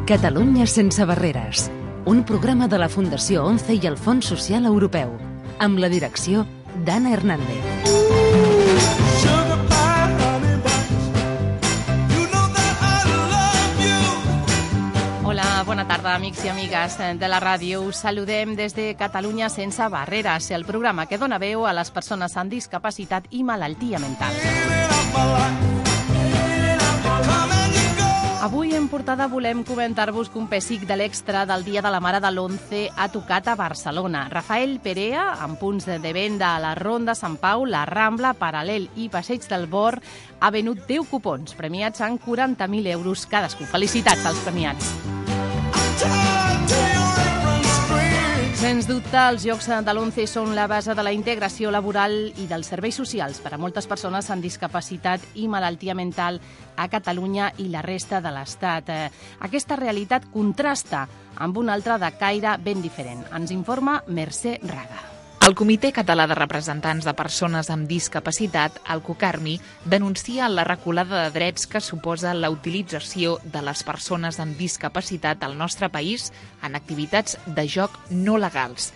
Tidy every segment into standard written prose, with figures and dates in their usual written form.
Catalunya sense barreres, un programa de la Fundació ONCE i el Fons Social Europeu, amb la direcció d'Anna Hernández. Hola, bona tarda, amics i amigues de la ràdio. Us saludem des de Catalunya sense barreres, el programa que dona veu a les persones amb discapacitat i malaltia mental. Avui en portada volem comentar-vos que un pessic de l'Extra del Dia de la Mare de l'11 ha tocat a Barcelona. Rafael Perea, amb punts de venda a la Ronda Sant Pau, la Rambla, Paral·lel i Passeig del Bor, ha venut 10 cupons, premiats en 40.000 euros cadascú. Felicitats als premiats. Sens dubte, els Jocs de l'11 són la base de la integració laboral i dels serveis socials per a moltes persones amb discapacitat i malaltia mental a Catalunya i la resta de l'Estat. Aquesta realitat contrasta amb una altra de caire ben diferent. Ens informa Mercè Raga. El Comitè Català de Representants de Persones amb Discapacitat, el COCARMI, denuncia la reculada de drets que suposa la utilització de les persones amb discapacitat al nostre país en activitats de joc no legals.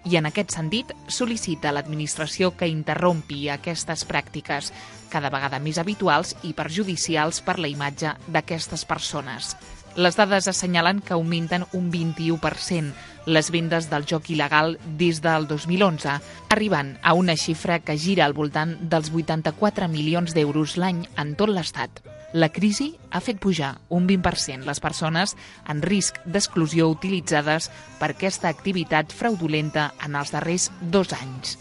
I en aquest sentit sol·licita a l'administració que interrompi aquestes pràctiques, cada vegada més habituals i perjudicials per la imatge d'aquestes persones. Les dades assenyalen que augmenten un 21% les vendes del joc il·legal des del 2011, arribant a una xifra que gira al voltant dels 84 milions d'euros l'any en tot l'Estat. La crisi ha fet pujar un 20% les persones en risc d'exclusió utilitzades per aquesta activitat fraudulenta en els darrers 2 anys.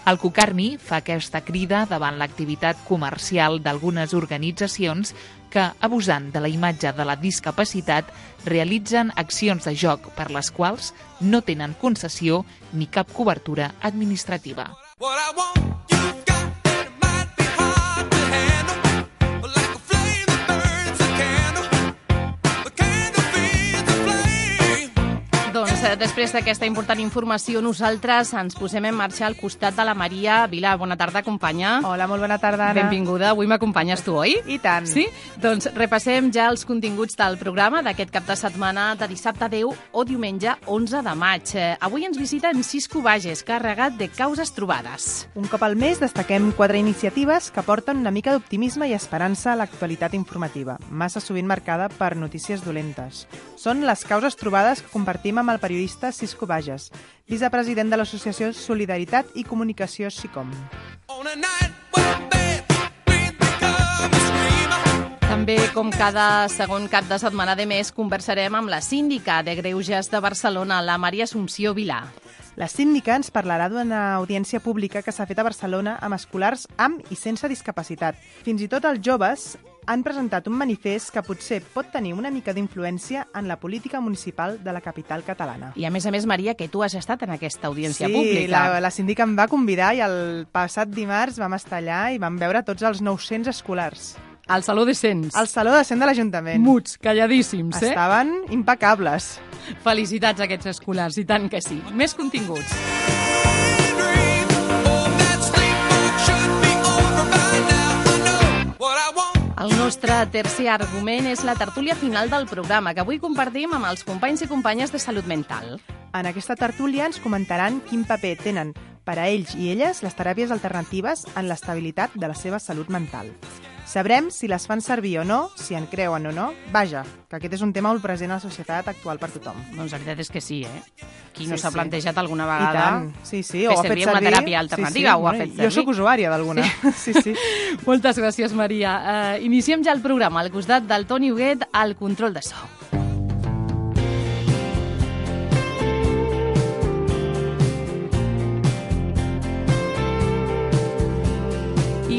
El COCARMI fa aquesta crida davant l'activitat comercial d'algunes organitzacions que, abusant de la imatge de la discapacitat, realitzen accions de joc per les quals no tenen concessió ni cap cobertura administrativa. Després d'aquesta important informació, nosaltres ens posem en marxa al costat de la Maria Vilà. Bona tarda, companya. Hola, molt bona tarda, Anna. Benvinguda. Avui m'acompanyes tu, oi? I tant. Sí? Doncs repassem ja els continguts del programa d'aquest cap de setmana de dissabte 10 o diumenge 11 de maig. Avui ens visita en Cisco Bages, carregat de causes trobades. Un cop al mes destaquem 4 iniciatives que porten una mica d'optimisme i esperança a l'actualitat informativa, massa sovint marcada per notícies dolentes. Són les causes trobades que compartim amb el periodista Cisco Bages, vicepresident de l'associació Solidaritat i Comunicació SICOM. També, com cada segon cap de setmana de mes, conversarem amb la síndica de Greuges de Barcelona, la Maria Assumpció Vilà. La síndica ens parlarà d'una audiència pública que s'ha fet a Barcelona amb escolars amb i sense discapacitat. Fins i tot els joves han presentat un manifest que potser pot tenir una mica d'influència en la política municipal de la capital catalana. I a més, Maria, que tu has estat en aquesta audiència pública. Sí, la síndica em va convidar i el passat dimarts vam estar allà i vam veure tots els 900 escolars. Al Saló de Cents. Al Saló de Cents de l'Ajuntament. Muts, calladíssims, eh? Estaven impecables. Felicitats a aquests escolars, i tant que sí. Més continguts. El nostre tercer argument és la tertúlia final del programa, que avui compartim amb els companys i companyes de salut mental. En aquesta tertúlia ens comentaran quin paper tenen per a ells i elles les teràpies alternatives en l'estabilitat de la seva salut mental. Sabrem si les fan servir o no, si en creuen o no. Vaja, que aquest és un tema molt present a la societat actual per tothom. Doncs la veritat és que sí, eh? Qui no s'ha plantejat alguna vegada I tant. Sí, o ha fet servir una teràpia alternativa, o ha fet servir. Jo sóc usuària d'alguna. Sí. Moltes gràcies, Maria. Iniciem ja el programa al costat del Toni Huguet al control de so.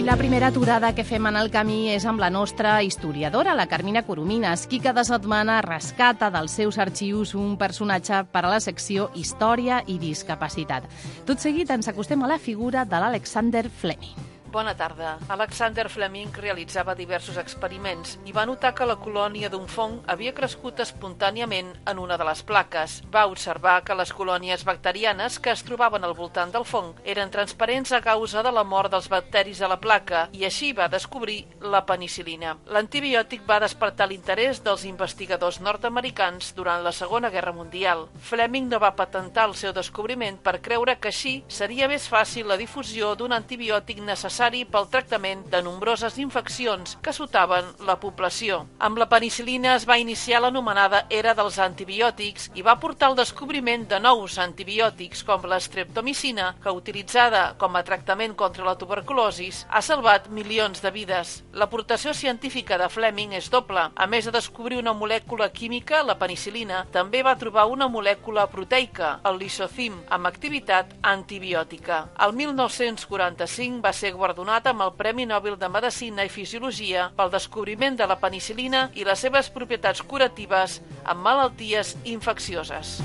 La primera aturada que fem en el camí és amb la nostra historiadora, la Carmina Coromines, qui cada setmana rescata dels seus arxius un personatge per a la secció Història i Discapacitat. Tot seguit ens acostem a la figura de l'Alexander Fleming. Bona tarda. Alexander Fleming realitzava diversos experiments i va notar que la colònia d'un fong havia crescut espontàniament en una de les plaques. Va observar que les colònies bacterianes que es trobaven al voltant del fong eren transparents a causa de la mort dels bacteris a la placa i així va descobrir la penicil·lina. L'antibiòtic va despertar l'interès dels investigadors nord-americans durant la Segona Guerra Mundial. Fleming no va patentar el seu descobriment per creure que així seria més fàcil la difusió d'un antibiòtic necessari pel tractament de nombroses infeccions que assotaven la població. Amb la penicil·lina es va iniciar l'anomenada era dels antibiòtics i va portar al descobriment de nous antibiòtics com l'estreptomicina, que utilitzada com a tractament contra la tuberculosis ha salvat milions de vides. L'aportació científica de Fleming és doble. A més de descobrir una molècula química, la penicil·lina, també va trobar una molècula proteica, el lisozim, amb activitat antibiòtica. El 1945 va ser guardonat amb el Premi Nobel de Medicina i Fisiologia pel descobriment de la penicil·lina i les seves propietats curatives en malalties infeccioses.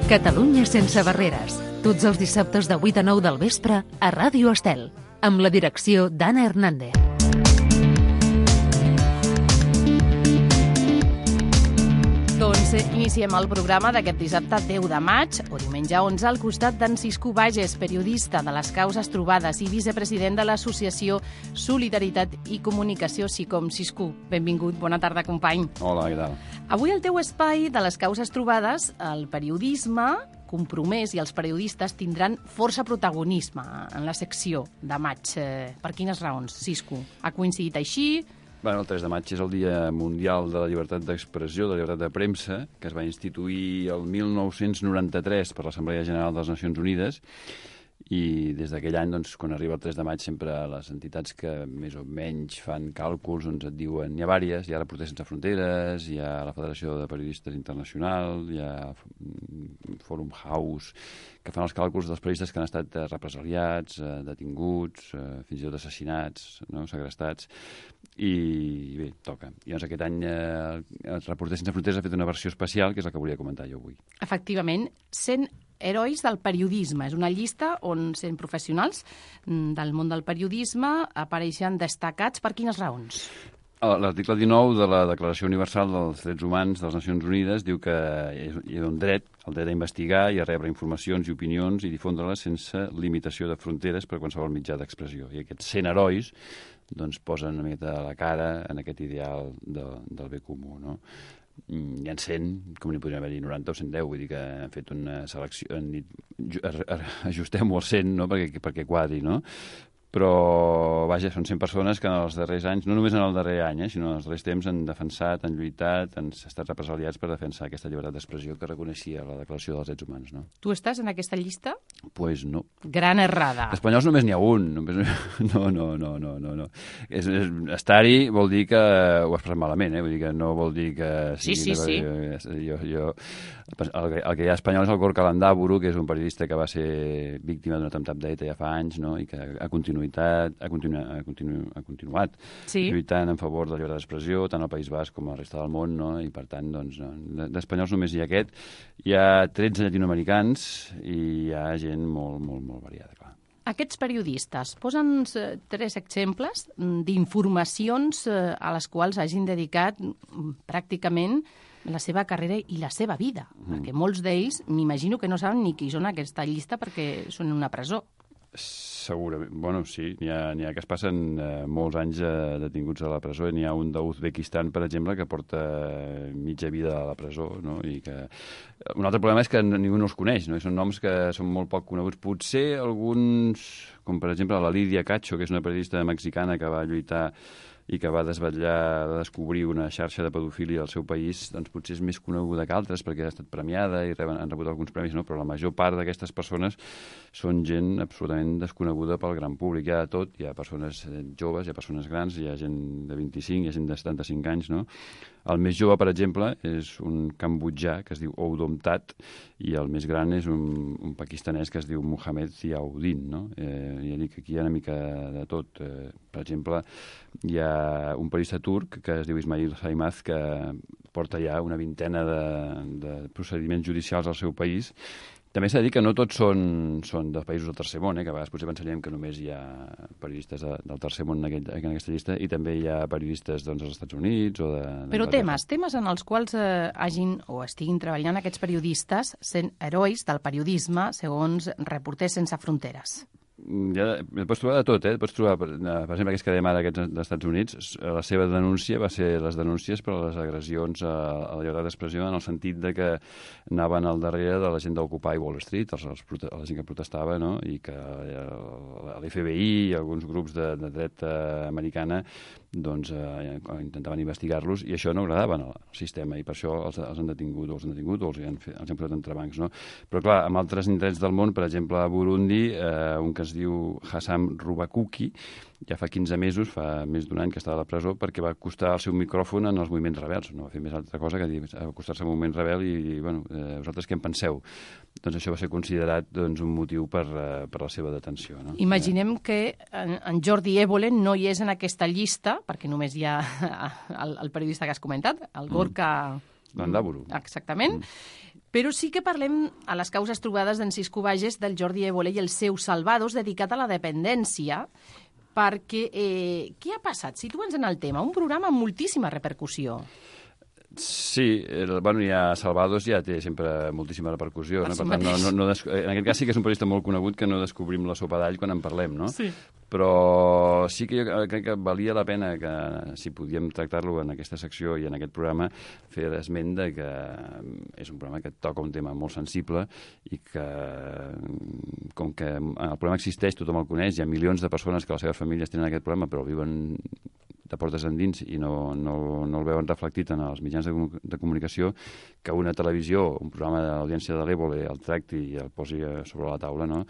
Catalunya sense barreres. Tots els dissabtes de 8 a 9 del vespre a Ràdio Estel, amb la direcció d'Anna Hernández. Doncs iniciem el programa d'aquest dissabte 10 de maig o diumenge 11 al costat d'en Ciscú Bages, periodista de les causes trobades i vicepresident de l'associació Solidaritat i Comunicació SICOM. Ciscú, benvingut, bona tarda, company. Hola, què tal? Avui el teu espai de les causes trobades, el periodisme compromès i els periodistes tindran força protagonisme en la secció de maig. Per quines raons, Ciscú? Ha coincidit així? Bueno, el 3 de maig és el Dia Mundial de la Llibertat d'Expressió, de la Llibertat de Premsa, que es va instituir el 1993 per l'Assemblea General de les Nacions Unides, i des d'aquell any, doncs, quan arriba el 3 de maig, sempre les entitats que més o menys fan càlculs doncs et diuen, hi ha vàries, hi ha Reporters Sense Fronteres, hi ha la Federació de Periodistes Internacional, hi ha Forum House, que fan els càlculs dels periodistes que han estat represaliats, detinguts, fins i tot assassinats, no? Segrestats, i bé, toca. I doncs aquest any els Reporters Sense Fronteres ha fet una versió especial, que és la que volia comentar jo avui. Efectivament, 100 herois del periodisme. És una llista on 100 professionals del món del periodisme apareixen destacats. Per quines raons? L'article 19 de la Declaració Universal dels Drets Humans de les Nacions Unides diu que hi ha un dret, el dret a investigar i a rebre informacions i opinions i difondre-les sense limitació de fronteres per qualsevol mitjà d'expressió. I aquests 100 herois doncs, posen una mica la cara en aquest ideal del bé comú, no? Hi ha 100, com n'hi podrien haver-hi 90 o 110, vull dir que han fet una selecció, han dit, ajustem-ho al 100, no? perquè quadri, no? Però, vaja, són 100 persones que en els darrers anys, no només en el darrer any, sinó en els darrers temps han defensat, han lluitat, han estat represaliats per defensar aquesta llibertat d'expressió que reconeixia la Declaració dels Drets Humans, no? Tu estàs en aquesta llista? Pues no. Gran errada. Espanyols només n'hi ha un. No. Estar-hi vol dir que ho has passat malament, vull dir que no vol dir que... Sí. El que hi ha espanyol és el Gorka Landaburu, que és un periodista que va ser víctima d'un atemptat d'ETA ja fa anys, no? I que ha continuat lluitant en favor de la llibertat d'expressió, tant al País Basc com a la resta del món, no? I per tant, doncs, no. D'espanyols només hi ha aquest. Hi ha 13 llatinoamericans i hi ha gent molt variada, clar. Aquests periodistes posen 3 exemples d'informacions a les quals hagin dedicat pràcticament la seva carrera i la seva vida, perquè molts d'ells m'imagino que no saben ni qui són aquesta llista perquè són en una presó. Segurament. Bueno, sí, n'hi ha que es passen molts anys detinguts a la presó. N'hi ha un d'Uzbekistan, per exemple, que porta mitja vida a la presó, no? I que... Un altre problema és que ningú no els coneix, no? I són noms que són molt poc coneguts. Potser alguns, com per exemple la Lídia Cacho, que és una periodista mexicana que va lluitar i que va descobrir una xarxa de pedofília al seu país, doncs potser és més coneguda que altres perquè ha estat premiada i han rebut alguns premis, no? Però la major part d'aquestes persones són gent absolutament desconeguda pel gran públic. Hi ha de tot, hi ha persones joves, hi ha persones grans, hi ha gent de 25, hi ha gent de 75 anys, no? El més jove, per exemple, és un cambodjà que es diu Oudom That i el més gran és un pakistanès que es diu Mohamed Ziauddin, no? Ja dic, aquí hi ha una mica de tot. Per exemple, hi ha un periodista turc que es diu Ismail Saimaz que porta ja una vintena de procediments judicials al seu país. També s'ha de dir que no tots són de països del tercer món, que a vegades potser pensaríem que només hi ha periodistes del tercer món en aquesta llista, i també hi ha periodistes als Estats Units o de... Però temes en els quals hagin o estiguin treballant aquests periodistes sent herois del periodisme, segons Reporters Sense Fronteres. Ja pots trobar de tot, Pots trobar, per exemple, aquests que dèiem ara, aquests dels Estats Units, la seva denúncia va ser les denúncies per les agressions a la llibertat d'expressió, en el sentit de que anaven al darrere de la gent d'Occupy Wall Street, la gent que protestava, no? I que l'FBI i alguns grups de dret americana intentaven investigar-los, i això no agradava al sistema, i per això els han detingut o els han posat entrebancs, no? Però clar, en altres indrets del món, per exemple a Burundi, un que es diu Hassam Rubakuki, ja fa 15 mesos, fa més d'un any que estava a la presó, perquè va acostar el seu micròfon en els moviments rebels. No va fer més altra cosa que acostar-se a un moviment rebel i vosaltres què en penseu? Doncs això va ser considerat un motiu per la seva detenció. No? Imaginem que en Jordi Évole no hi és en aquesta llista, perquè només hi ha el periodista que has comentat, el Gorka... Landaburu. Exactament. Però sí que parlem a les causes trobades d'en Cisco Bages, del Jordi Évole i el seu Salvados, dedicat a la dependència, perquè què ha passat? Situa'ns en el tema. Un programa amb moltíssima repercussió. Sí, ja Salvados ja té sempre moltíssima repercussió. No? Per tant, en aquest cas sí que és un periodista molt conegut que no descobrim la sopa d'all quan en parlem, no? Sí. Però sí que jo crec que valia la pena que, si podíem tractar-lo en aquesta secció i en aquest programa, fer esment de que és un programa que toca un tema molt sensible i que, com que el programa existeix, tothom el coneix, hi ha milions de persones que les seves famílies tenen aquest problema però viuen de portes endins i no el veuen reflectit en els mitjans de comunicació, que una televisió, un programa de l'audiència de l'Évole el tracti i el posi sobre la taula, no?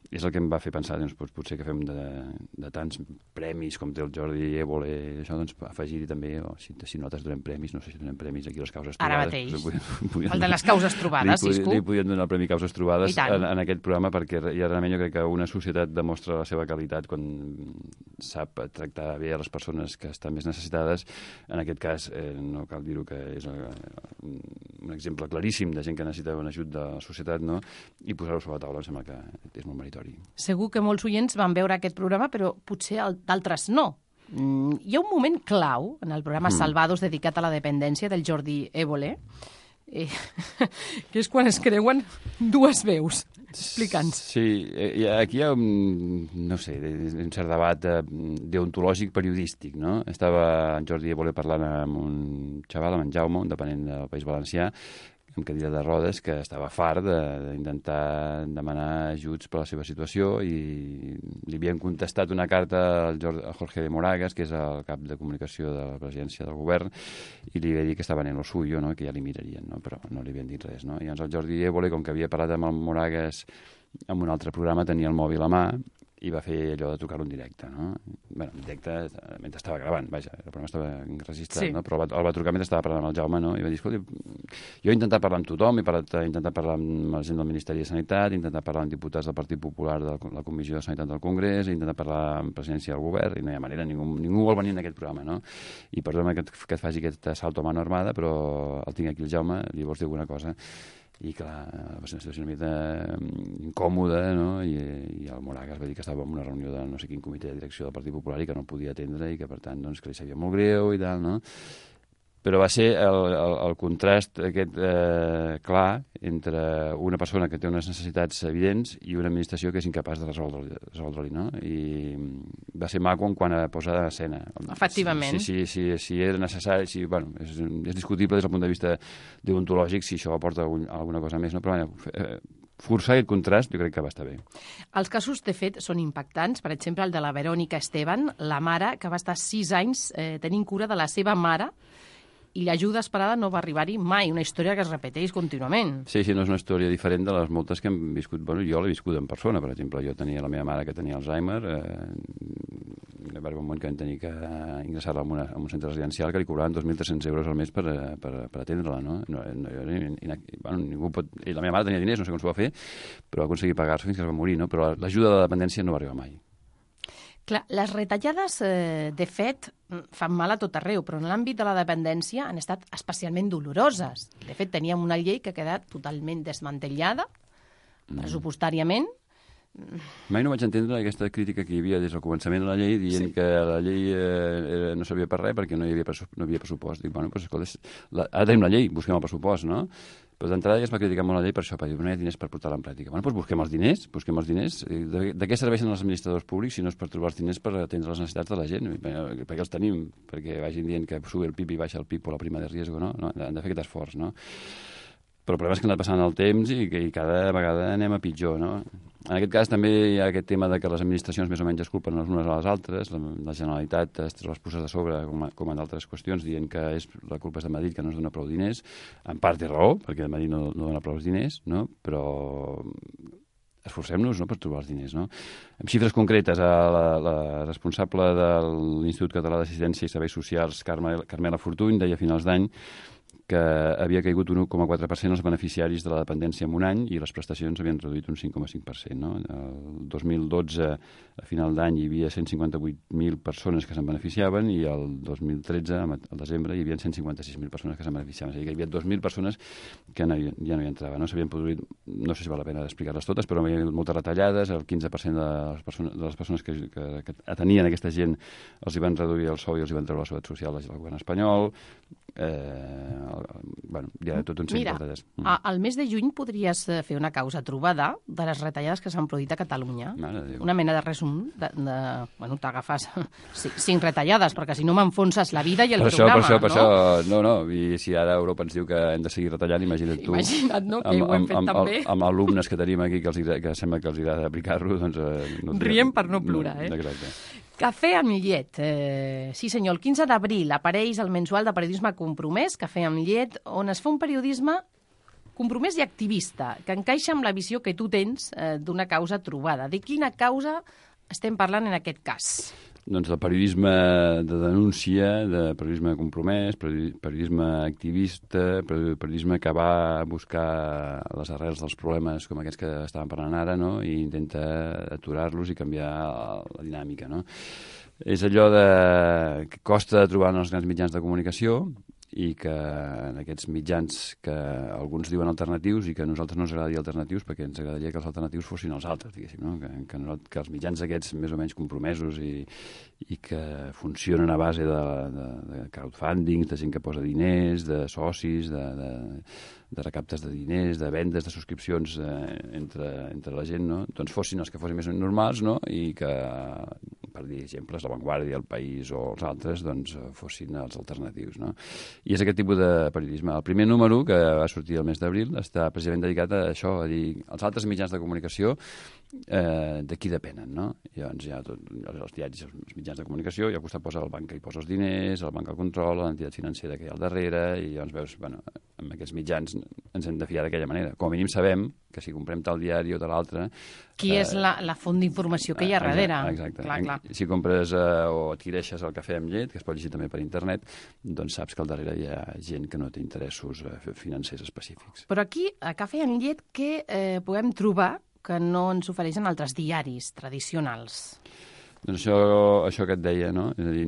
És el que em va fer pensar, potser que fem de tants premis com té el Jordi Évole, això, afegir-hi també, si nosaltres donem premis, no sé si donem premis aquí a les causes trobades. Ara mateix. El de les causes trobades, Cisco. Li podíem donar el Premi Causes Trobades en aquest programa, perquè realment jo crec que una societat demostra la seva qualitat quan sap tractar bé a les persones que estan més necessitades. En aquest cas, no cal dir-ho, que és un exemple claríssim de gent que necessita un ajut de la societat, no? I posar-ho sobre la taula em sembla que és molt meritori. Segur que molts oients van veure aquest programa, però potser d'altres no. Hi ha un moment clau en el programa Salvados, dedicat a la dependència del Jordi Évole, que és quan es creuen dues veus. Explica'ns. Sí, aquí hi ha un cert debat deontològic periodístic, no? Estava en Jordi Évole parlant amb un xaval, amb en Jaume, un dependent del País Valencià, amb cadira de rodes, que estava fart d'intentar demanar ajuts per la seva situació, i li havien contestat una carta al Jorge de Moragas, que és el cap de comunicació de la presidència del govern, i li havia dit que estaven en lo suyo, no? Que ja li mirarien, no? Però no li havien dit res. No? I llavors el Jordi Évole, com que havia parlat amb el Moragas en un altre programa, tenia el mòbil a mà i va fer allò de trucar-lo en directe, no? Bé, en directe mentre estava gravant, vaja, el programa estava enregistrat, sí. No? Però el va trucar mentre estava parlant amb el Jaume, no? I va dir, escolta, jo he intentat parlar amb tothom, he intentat parlar amb la gent del Ministeri de Sanitat, he intentat parlar amb diputats del Partit Popular de la Comissió de Sanitat del Congrés, he intentat parlar amb presidència del govern, i no hi ha manera, ningú vol venir en aquest programa, no? I perdona que et faci aquest salto a mano armada, però el tinc aquí el Jaume, li vols dir alguna cosa? I clar, va ser una situació una mica incòmoda, no? I el Moragas va dir que estava en una reunió de no sé quin comitè de direcció del Partit Popular i que no podia atendre i que per tant que li sabia molt greu i tal, no? Però va ser el contrast aquest clar entre una persona que té unes necessitats evidents i una administració que és incapaç de resoldre-li, no? I va ser maco en quant a posar a escena. Efectivament. Si era necessari, és discutible des del punt de vista deontològic si això aporta alguna cosa més, no? Però forçar aquest contrast jo crec que va estar bé. Els casos, de fet, són impactants. Per exemple, el de la Verònica Esteban, la mare que va estar 6 anys tenint cura de la seva mare, i l'ajuda esperada no va arribar-hi mai, una història que es repeteix contínuament. Sí, no és una història diferent de les moltes que hem viscut. Bueno, jo l'he viscut en persona, per exemple. Jo tenia la meva mare que tenia Alzheimer, va haver un moment que vam tenir que ingressar-la en un centre residencial que li cobraven 2.300 euros al mes per atendre-la, no? Ningú pot... La meva mare tenia diners, no sé com s'ho va fer, però va aconseguir pagar-se fins que es va morir, no? Però l'ajuda de la dependència no va arribar mai. Clar, les retallades, de fet, fan mal a tot arreu, però en l'àmbit de la dependència han estat especialment doloroses. De fet, teníem una llei que ha quedat totalment desmantellada, pressupostàriament. Mai no vaig entendre aquesta crítica que hi havia des del començament de la llei, dient que la llei no servia per res perquè no hi havia pressupost. Dic, bueno, doncs escolta, ara tenim la llei, busquem el pressupost, no? Però d'entrada ja es va criticar molt la llei per això, perquè no hi ha diners per portar-la en pràctica. Bueno, doncs busquem els diners. De què serveixen els administradors públics si no és per trobar els diners per atendre les necessitats de la gent? Perquè els tenim, perquè vagin dient que sube el PIB i baixa el PIB o la prima de riesgo, no? Han de fer aquest esforç, no? Però el problema és que ha anat passant el temps i cada vegada anem a pitjor, no? En aquest cas també hi ha aquest tema de que les administracions més o menys es culpen les unes a les altres. La Generalitat es treu les puces de sobre, com en altres qüestions, dient que la culpa és de Madrid, que no es dona prou diners. En part té raó, perquè Madrid no dona prou diners, no? Però esforcem-nos, no?, per trobar els diners, no? Amb xifres concretes, la responsable de l'Institut Català d'Assistència i Serveis Socials, Carmela Fortuny, deia a finals d'any que havia caigut un 1,4% els beneficiaris de la dependència en un any i les prestacions havien reduït un 5,5%. No? El 2012, a final d'any, hi havia 158.000 persones que se'n beneficiaven i el 2013, al desembre, hi havia 156.000 persones que se'n beneficiaven. És a dir, que hi havia 2.000 persones que ja no hi entraven. No s'havien produït, no sé si val la pena explicar-les totes, però hi havia moltes retallades, el 15% de les persones que atenien aquesta gent els hi van reduir el sou i els hi van treure la seguretat social del govern espanyol. Bueno, hi ha tot un seguit de retalles. Al mes de juny podries fer una causa trobada de les retallades que s'han produït a Catalunya. Una mena de resum. Bueno, t'agafes 5 retallades, perquè si no m'enfonses la vida i el programa. Per això, no. I si ara Europa ens diu que hem de seguir retallant, imagina't tu. Imagina't, no?, que ho hem fet també. Amb alumnes que tenim aquí que sembla que els agrada aplicar-lo, doncs... Riem per no plorar, Exacte. Cafè amb llet. Sí, senyor, el 15 d'abril apareix el mensual de periodisme compromès, Cafè amb llet, on es fa un periodisme compromès i activista, que encaixa amb la visió que tu tens d'una causa trobada. De quina causa estem parlant en aquest cas? Doncs del periodisme de denúncia, de periodisme compromès, periodisme activista, periodisme que va a buscar les arrels dels problemes com aquests que estàvem parlant ara, no?, i intenta aturar-los i canviar la dinàmica, no? És allò que costa de trobar en els grans mitjans de comunicació i que en aquests mitjans que alguns diuen alternatius i que a nosaltres no ens agrada dir alternatius perquè ens agradaria que els alternatius fossin els altres, diguéssim, no? Que els mitjans aquests més o menys compromesos i que funcionen a base de crowdfunding, de gent que posa diners, de socis, de recaptes de diners, de vendes, de subscripcions entre la gent, no? Doncs fossin els que fossin més normals, no? I que, per dir exemples, La Vanguardia, El País o els altres, doncs fossin els alternatius, no? I és aquest tipus de periodisme. El primer número, que va sortir el mes d'abril, està precisament dedicat a això, a dir, els altres mitjans de comunicació de qui depenen, no? I llavors hi ha els diaris, els mitjans de comunicació, i al costat posa el banc que hi posa els diners, el banc el controla, l'entitat financera que hi ha al darrere, i llavors veus, bueno, amb aquests mitjans ens hem de fiar d'aquella manera. Com a mínim sabem que si comprem tal diari o tal altre... Qui és la font d'informació que hi ha darrere. Exacte. Clar. Si compres o adquireixes el cafè amb llet, que es pot llegir també per internet, doncs saps que al darrere hi ha gent que no té interessos financers específics. Però aquí, a Cafè amb llet, què podem trobar que no ens ofereixen altres diaris tradicionals? Doncs això que et deia, no? És a dir,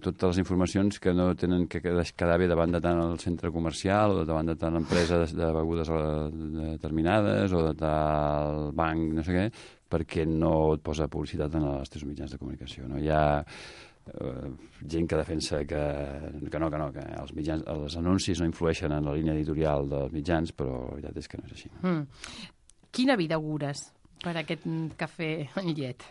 totes les informacions que no tenen que quedar bé davant de tant el centre comercial o davant de tant l'empresa de begudes determinades o de tal banc, no sé què, perquè no et posa publicitat en els teus mitjans de comunicació, no? Hi ha gent que defensa que els anuncis no influeixen en la línia editorial dels mitjans, però la veritat és que no és així. Quina vida augures per aquest cafè amb llet?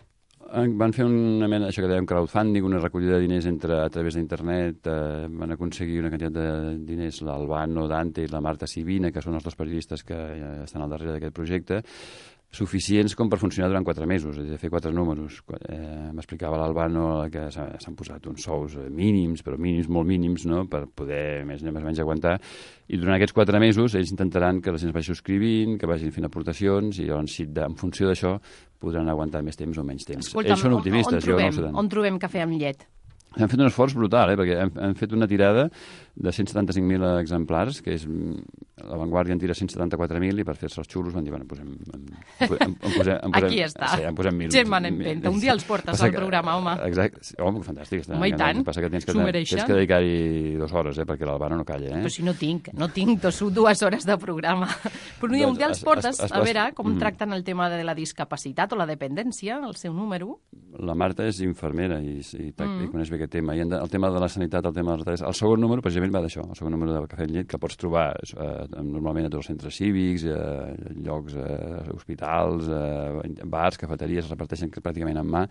Van fer una mena, això que dèiem, crowdfunding, una recollida de diners a través d'internet, van aconseguir una quantitat de diners, l'Albano Dante i la Marta Sibina, que són els 2 periodistes que estan al darrere d'aquest projecte, suficients com per funcionar durant 4 mesos, és a dir, fer 4 números. M'explicava l'Albano que s'han posat uns sous mínims, però mínims, molt mínims, no?, per poder més o menys aguantar, i durant aquests 4 mesos ells intentaran que la gent es vagi subscrivint, que vagin fent aportacions, i llavors en funció d'això podran aguantar més temps o menys temps. Escolta'm, ells són optimistes, jo no ho sé tant. On trobem cafè amb llet? Hem fet un esforç brutal, perquè hem fet una tirada de 175.000 exemplars, que és... La Vanguardia en tira 174.000 i per fer-se els xulos van dir, bueno, aquí està. Sí, en posem 1.000. Gent en empenta. Un dia els portes al programa, home. Exacte. Home, fantàstic. Home, i tant. Passa que tens S'ho mereixen. que dedicar-hi 2 hores, perquè l'Alvaro no calla, Però si no tinc 2 hores de programa. Però un dia els portes a veure com tracten el tema de la discapacitat o la dependència, el seu número. La Marta és infermera i coneix bé aquest tema. I el tema de la sanitat, el tema dels retalls... El segon número, precisament, va d'això. El segon número de Cafè amb Llet, que pots trobar normalment a tots els centres cívics, llocs, hospitals, bars, cafeteries, es reparteixen pràcticament en mà,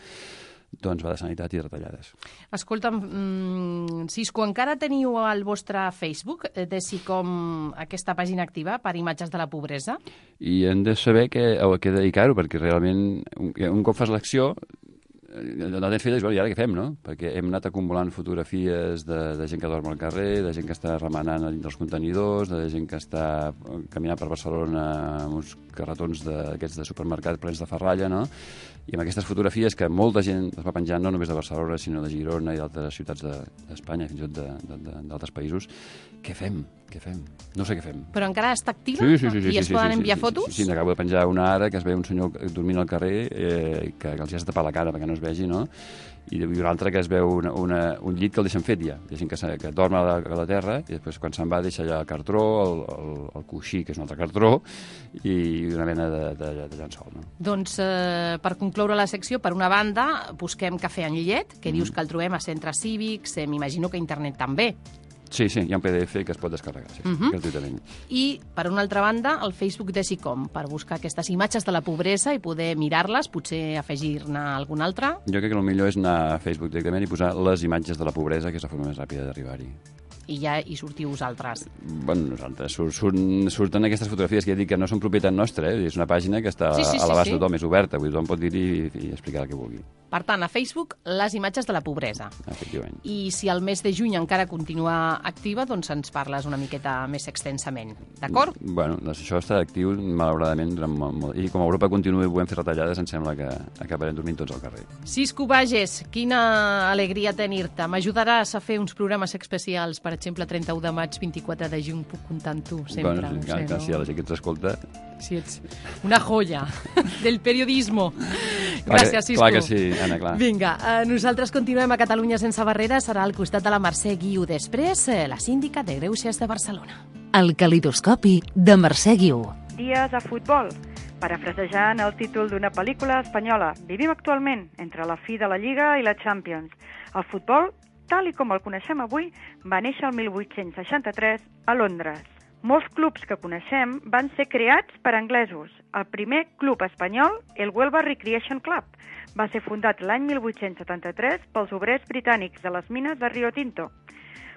doncs va de sanitat i de retallades. Escolta'm, Cisco, encara teniu al vostre Facebook de SICOM aquesta pàgina activa per imatges de la pobresa? I hem de saber a què dedicar-ho, perquè realment un cop fas l'acció no tens filles, i ara què fem, no? Perquè hem anat acumulant fotografies de gent que dorm al carrer, de gent que està remenant a dins dels contenidors, de gent que està caminant per Barcelona amb uns carretons d'aquests de supermercat plens de ferralla, no? I amb aquestes fotografies que molta gent es va penjar no només de Barcelona, sinó de Girona i d'altres ciutats d'Espanya, fins i tot d'altres països, què fem? No sé què fem. Però encara està activa? Sí. I es poden enviar fotos? Sí, n'acabo de penjar una ara que es veu un senyor dormint al carrer que els has de tapar la cara perquè no es vegi, no? I una altra que es veu un llit que el deixen fet ja. Hi ha gent que dorm a la terra i després quan se'n va deixa allà el cartró, el coixí, que és un altre cartró, i una mena de llençol. No? Doncs per concloure la secció, per una banda, busquem Cafè amb Llet, que dius que el trobem a centres cívics, m'imagino que a internet també. Sí, hi ha un PDF que es pot descarregar, gratuïtament. I, per una altra banda, el Facebook de SICOM, per buscar aquestes imatges de la pobresa i poder mirar-les, potser afegir-ne alguna altra. Jo crec que el millor és anar a Facebook directament i posar les imatges de la pobresa, que és la forma més ràpida d'arribar-hi. I ja hi sortiu vosaltres. Bueno, nosaltres. Surten aquestes fotografies que ja dic que no són propietat nostra, és una pàgina que està a l'abast de tothom, és oberta, vull dir, tothom pot dir-hi i explicar el que vulgui. Per tant, a Facebook, les imatges de la pobresa. Efectivament. I si el mes de juny encara continua activa, doncs ens parles una miqueta més extensament, d'acord? Bueno, això està actiu, malauradament, durant molt. I com a Europa continuï podem fer retallades, em sembla que acabarem dormint tots al carrer. Cisco Bages, quina alegria tenir-te. M'ajudaràs a fer uns programes especials, per exemple, 31 de maig, 24 de juny, puc comptar amb tu, sempre. Bueno, si la gent que ens escolta... Sí, ets una joia del periodismo. Gràcies, Cisco. Clar que sí, Anna, clar. Vinga, nosaltres continuem a Catalunya sense barreres. Serà al costat de la Mercè Guiu. Després, la síndica de Greuges de Barcelona. El calidoscopi de Mercè Guiu. Dies a futbol. Parafrasejant el títol d'una pel·lícula espanyola, vivim actualment entre la fi de la Lliga i la Champions. El futbol, tal i com el coneixem avui, va néixer el 1863 a Londres. Molts clubs que coneixem van ser creats per anglesos. El primer club espanyol, el Huelva Recreation Club, va ser fundat l'any 1873 pels obrers britànics de les mines de Rio Tinto.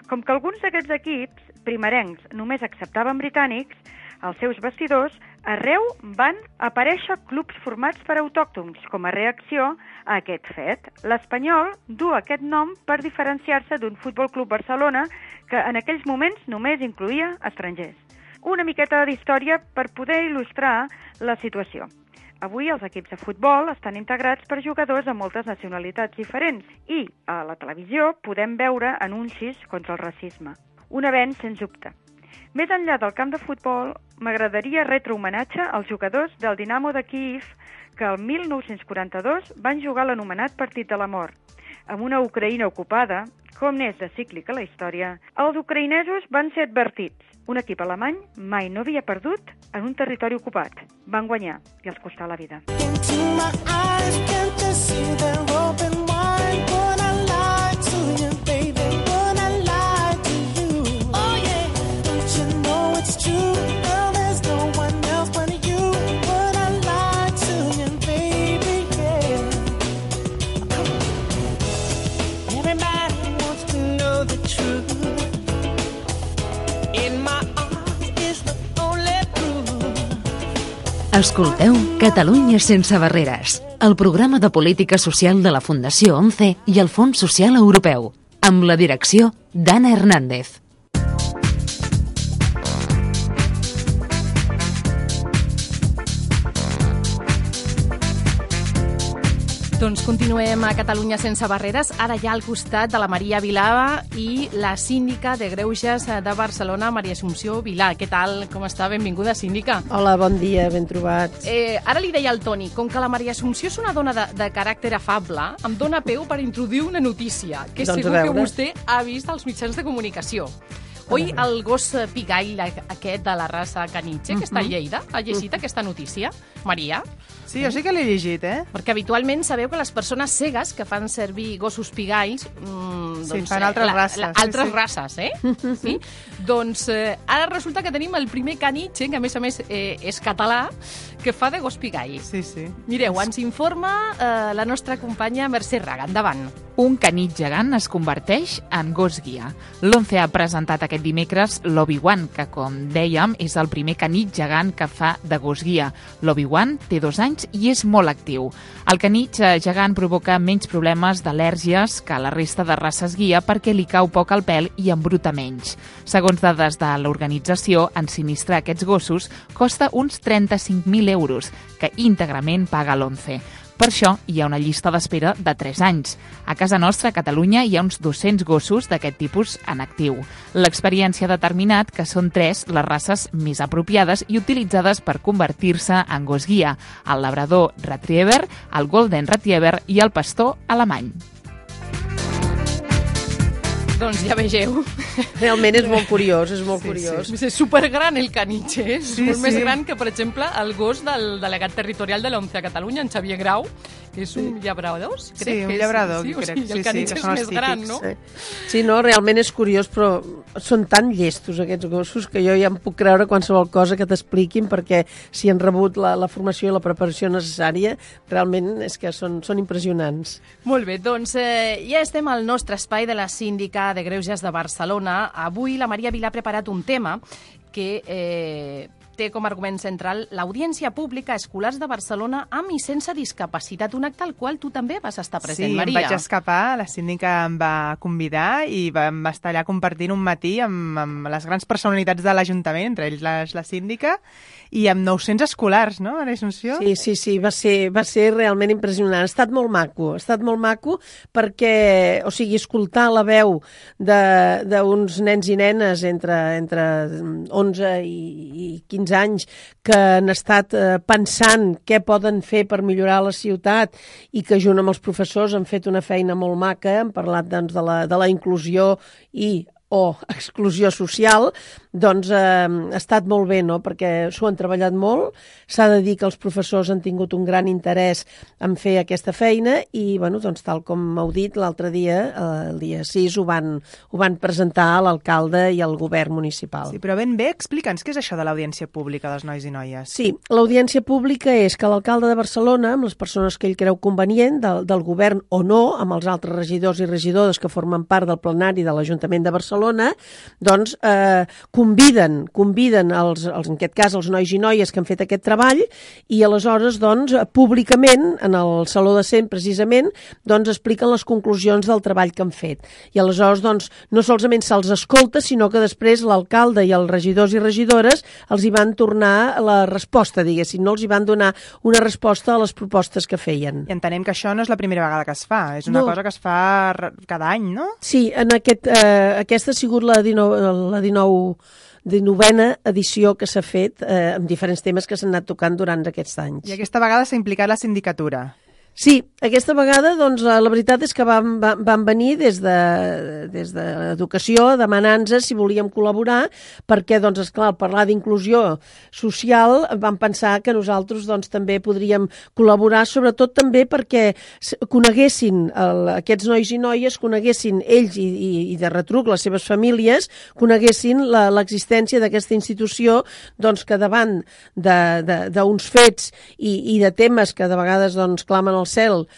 Com que alguns d'aquests equips primerencs només acceptaven britànics, als seus vestidors, arreu van aparèixer clubs formats per autòctons com a reacció a aquest fet. L'Espanyol du aquest nom per diferenciar-se d'un Futbol Club Barcelona que en aquells moments només incloïa estrangers. Una miqueta d'història per poder il·lustrar la situació. Avui els equips de futbol estan integrats per jugadors de moltes nacionalitats diferents i a la televisió podem veure anuncis contra el racisme. Un avenç, sens dubte. Més enllà del camp de futbol, m'agradaria retre homenatge als jugadors del Dinamo de Kíev que el 1942 van jugar l'anomenat Partit de la Mort. Amb una Ucraïna ocupada, com n'és de cíclica la història, els ucraïnesos van ser advertits. Un equip alemany mai no havia perdut en un territori ocupat. Van guanyar i els costà la vida. Escolteu Catalunya sense barreres, el programa de política social de la Fundació 11 i el Fons Social Europeu, amb la direcció d'Anna Hernández. Doncs continuem a Catalunya sense barreres, ara ja al costat de la Maria Vilà i la síndica de Greuges de Barcelona, Maria Assumpció Vilà. Què tal? Com està? Benvinguda, síndica. Hola, bon dia, ben trobats. Ara li deia al Toni, com que la Maria Assumpció és una dona de caràcter afable, em dona peu per introduir una notícia que doncs segur que vostè ha vist als mitjans de comunicació. Oi, el gos pigall aquest de la raça caniche, que està a Lleida, ha llegit aquesta notícia? Maria? Sí, jo sí que l'he llegit, Perquè habitualment sabeu que les persones cegues que fan servir gossos pigalls... sí, fan altres races. Altres races, Sí? Doncs ara resulta que tenim el primer caniche, que a més és català, que fa de gos pigall. Sí, sí. Mireu, ens informa la nostra companya Mercè Raga. Endavant. Un canit gegant es converteix en gos guia. L'11 ha presentat aquest dimecres l'Obi-Wan, que, com dèiem, és el primer canit gegant que fa de gos guia. L'Obi-Wan té 2 anys i és molt actiu. El canit gegant provoca menys problemes d'al·lèrgies que la resta de races guia perquè li cau poc al pèl i embruta menys. Segons dades de l'organització, ensinistrar aquests gossos costa uns 35.000 euros, que íntegrament paga l'11. Per això hi ha una llista d'espera de 3 anys. A casa nostra, a Catalunya, hi ha uns 200 gossos d'aquest tipus en actiu. L'experiència ha determinat que són 3 les races més apropiades i utilitzades per convertir-se en gos guia: el labrador retriever, el golden retriever i el pastor alemany. Doncs ja vegeu. Realment és molt curiós, és molt curiós. Sí. És supergran el caniche, és molt més gran que, per exemple, el gos del delegat territorial de l'11 a Catalunya, en Xavier Grau, que és un llabrador, crec. Sí, un llabrador, crec. Sí, el caniche és més gran, no? Sí, no, realment és curiós, però són tan llestos aquests gossos que jo ja em puc creure qualsevol cosa que t'expliquin, perquè si han rebut la formació i la preparació necessària, realment és que són impressionants. Molt bé, doncs ja estem al nostre espai de la síndica de Greuges de Barcelona. Avui la Maria Vilà ha preparat un tema que té com a argument central l'audiència pública a escolars de Barcelona amb i sense discapacitat, un acte al qual tu també vas estar present, Maria. Sí, em vaig escapar, la síndica em va convidar i vam estar allà compartint un matí amb les grans personalitats de l'Ajuntament, entre ells la síndica, i amb 900 escolars, no, Maria Assumpció? Sí, va ser realment impressionant. Ha estat molt maco perquè, o sigui, escoltar la veu d'uns nens i nenes entre 11 i 15 anys que han estat pensant què poden fer per millorar la ciutat i que junt amb els professors han fet una feina molt maca, han parlat doncs, de la inclusió o exclusió social, doncs ha estat molt bé, no?, perquè s'ho han treballat molt. S'ha de dir que els professors han tingut un gran interès en fer aquesta feina i, bueno, doncs, tal com m'heu dit, l'altre dia, el dia 6, ho van presentar a l'alcalde i al govern municipal. Sí, però ben bé, explica'ns què és això de l'audiència pública dels nois i noies. Sí, l'audiència pública és que l'alcalde de Barcelona, amb les persones que ell creu convenient, del govern o no, amb els altres regidors i regidores que formen part del plenari de l'Ajuntament de Barcelona, doncs conviden en aquest cas els nois i noies que han fet aquest treball i aleshores doncs públicament en el Saló de Cent precisament doncs expliquen les conclusions del treball que han fet i aleshores doncs no solament se'ls escolta sinó que després l'alcalde i els regidors i regidores els hi van tornar la resposta, diguéssim, no els hi van donar una resposta a les propostes que feien. I entenem que això no és la primera vegada que es fa, és una cosa que es fa cada any, no? Sí, en aquesta ha sigut la 19a edició que s'ha fet amb diferents temes que s'han anat tocant durant aquests anys. I aquesta vegada s'ha implicat la sindicatura. Sí, aquesta vegada doncs, la veritat és que van venir des d'Educació demanant-nos si volíem col·laborar perquè, doncs, esclar, al parlar d'inclusió social vam pensar que nosaltres doncs, també podríem col·laborar, sobretot també perquè coneguessin aquests nois i noies, coneguessin ells i de retruc les seves famílies, coneguessin l'existència d'aquesta institució doncs, que davant d'uns fets i de temes que de vegades doncs, clamen al cel,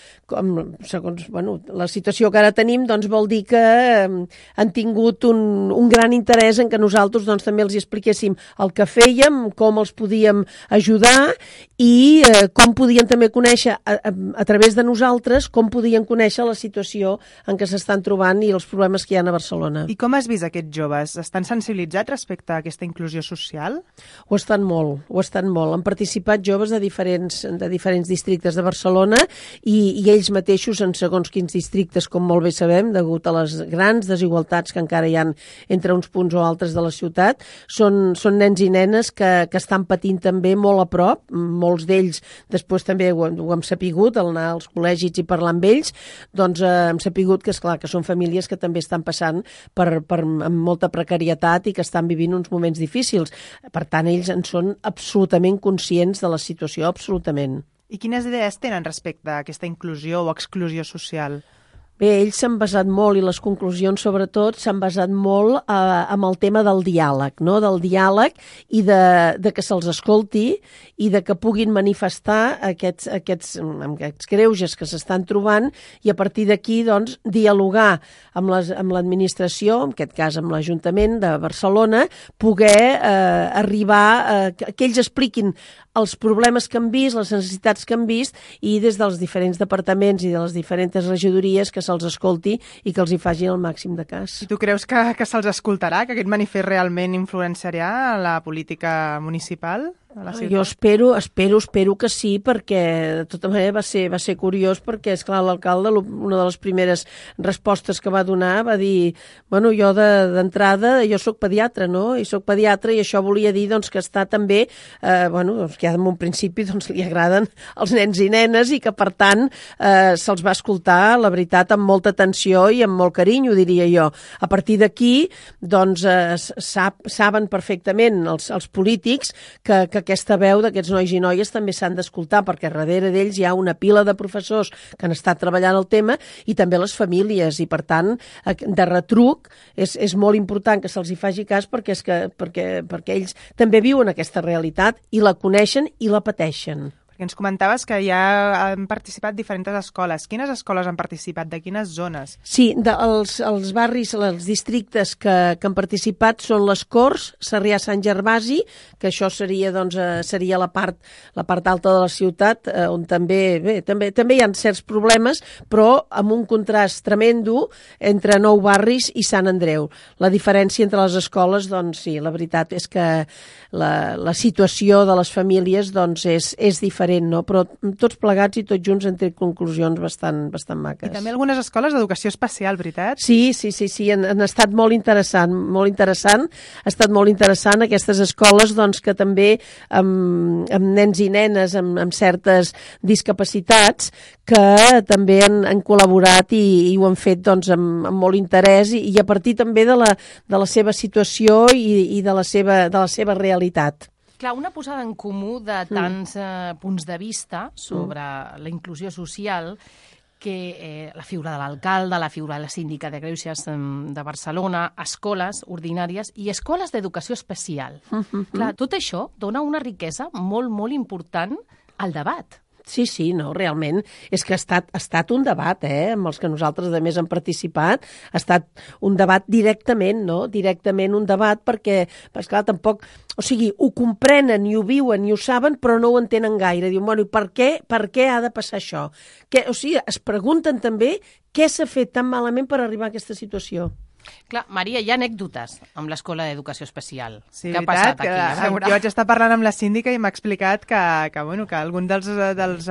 segons la situació que ara tenim, doncs vol dir que han tingut un gran interès en que nosaltres doncs, també els expliquéssim el que fèiem, com els podíem ajudar i com podien també conèixer a través de nosaltres, com podien conèixer la situació en què s'estan trobant i els problemes que hi ha a Barcelona. I com has vist aquests joves? Estan sensibilitzats respecte a aquesta inclusió social? Ho estan molt. Han participat joves de diferents districtes de Barcelona i ells mateixos en segons quins districtes, com molt bé sabem, degut a les grans desigualtats que encara hi ha entre uns punts o altres de la ciutat, són nens i nenes que estan patint també molt a prop, molts d'ells després també ho hem sapigut, al anar als col·legis i parlar amb ells, doncs hem sapigut que, esclar, que són famílies que també estan passant amb molta precarietat i que estan vivint uns moments difícils. Per tant, ells en són absolutament conscients de la situació, absolutament. I quines idees tenen respecte a aquesta inclusió o exclusió social? Bé, ells s'han basat molt, i les conclusions sobretot, s'han basat molt amb el tema del diàleg, no? Del diàleg i de que se'ls escolti i de que puguin manifestar aquests greuges que s'estan trobant i a partir d'aquí, doncs, dialogar amb l'administració, en aquest cas amb l'Ajuntament de Barcelona, poder arribar que ells expliquin els problemes que han vist, les necessitats que han vist i des dels diferents departaments i de les diferents regidories que se'ls escolti i que els hi facin el màxim de cas. I tu creus que se'ls escoltarà, que aquest manifest realment influenciarà la política municipal? Jo espero que sí, perquè de tota manera va ser curiós perquè, esclar, l'alcalde, una de les primeres respostes que va donar va dir, bueno, jo d'entrada, jo sóc pediatre, no? I sóc pediatre i això volia dir doncs, que està també, doncs, que en un principi doncs, li agraden els nens i nenes i que per tant se'ls va escoltar, la veritat, amb molta atenció i amb molt carinyo, diria jo. A partir d'aquí, doncs, saben perfectament els polítics que aquesta veu d'aquests nois i noies també s'han d'escoltar, perquè darrere d'ells hi ha una pila de professors que han estat treballant el tema i també les famílies, i per tant, de retruc, és molt important que se'ls hi faci cas perquè ells també viuen aquesta realitat i la coneixen i la pateixen. Ens comentaves que ja han participat diferents escoles. Quines escoles han participat? De quines zones? Sí, els barris, els districtes que han participat són les Corts, Sarrià-Sant Gervasi, que això seria la part alta de la ciutat, on també hi ha certs problemes, però amb un contrast tremendo entre Nou Barris i Sant Andreu. La diferència entre les escoles, doncs sí, la veritat és que la situació de les famílies doncs, és diferent, no? Però tots plegats i tots junts han tret conclusions bastant maques. I també algunes escoles d'educació especial, veritat? Sí, han estat molt interessant, ha estat molt interessant aquestes escoles doncs, que també amb nens i nenes amb certes discapacitats que també han col·laborat i ho han fet doncs, amb molt interès i a partir també de la seva situació i de la seva realitat. Clar, una posada en comú de tants punts de vista sobre la inclusió social que la figura de l'alcalde, la figura de la síndica de Greuges de Barcelona, escoles ordinàries i escoles d'educació especial. Clar, tot això dona una riquesa molt, molt important al debat. Sí, no, realment. És que ha estat un debat, amb els que nosaltres, a més, hem participat. Ha estat un debat directament, no? Directament un debat perquè, esclar, tampoc... O sigui, ho comprenen i ho viuen i ho saben, però no ho entenen gaire. Diuen, bueno, i per què ha de passar això? O sigui, es pregunten també què s'ha fet tan malament per arribar a aquesta situació. Clar, Maria, hi ha anècdotes amb l'Escola d'Educació Especial. Sí, què ha passat aquí? Jo vaig estar parlant amb la síndica i m'ha explicat que algun dels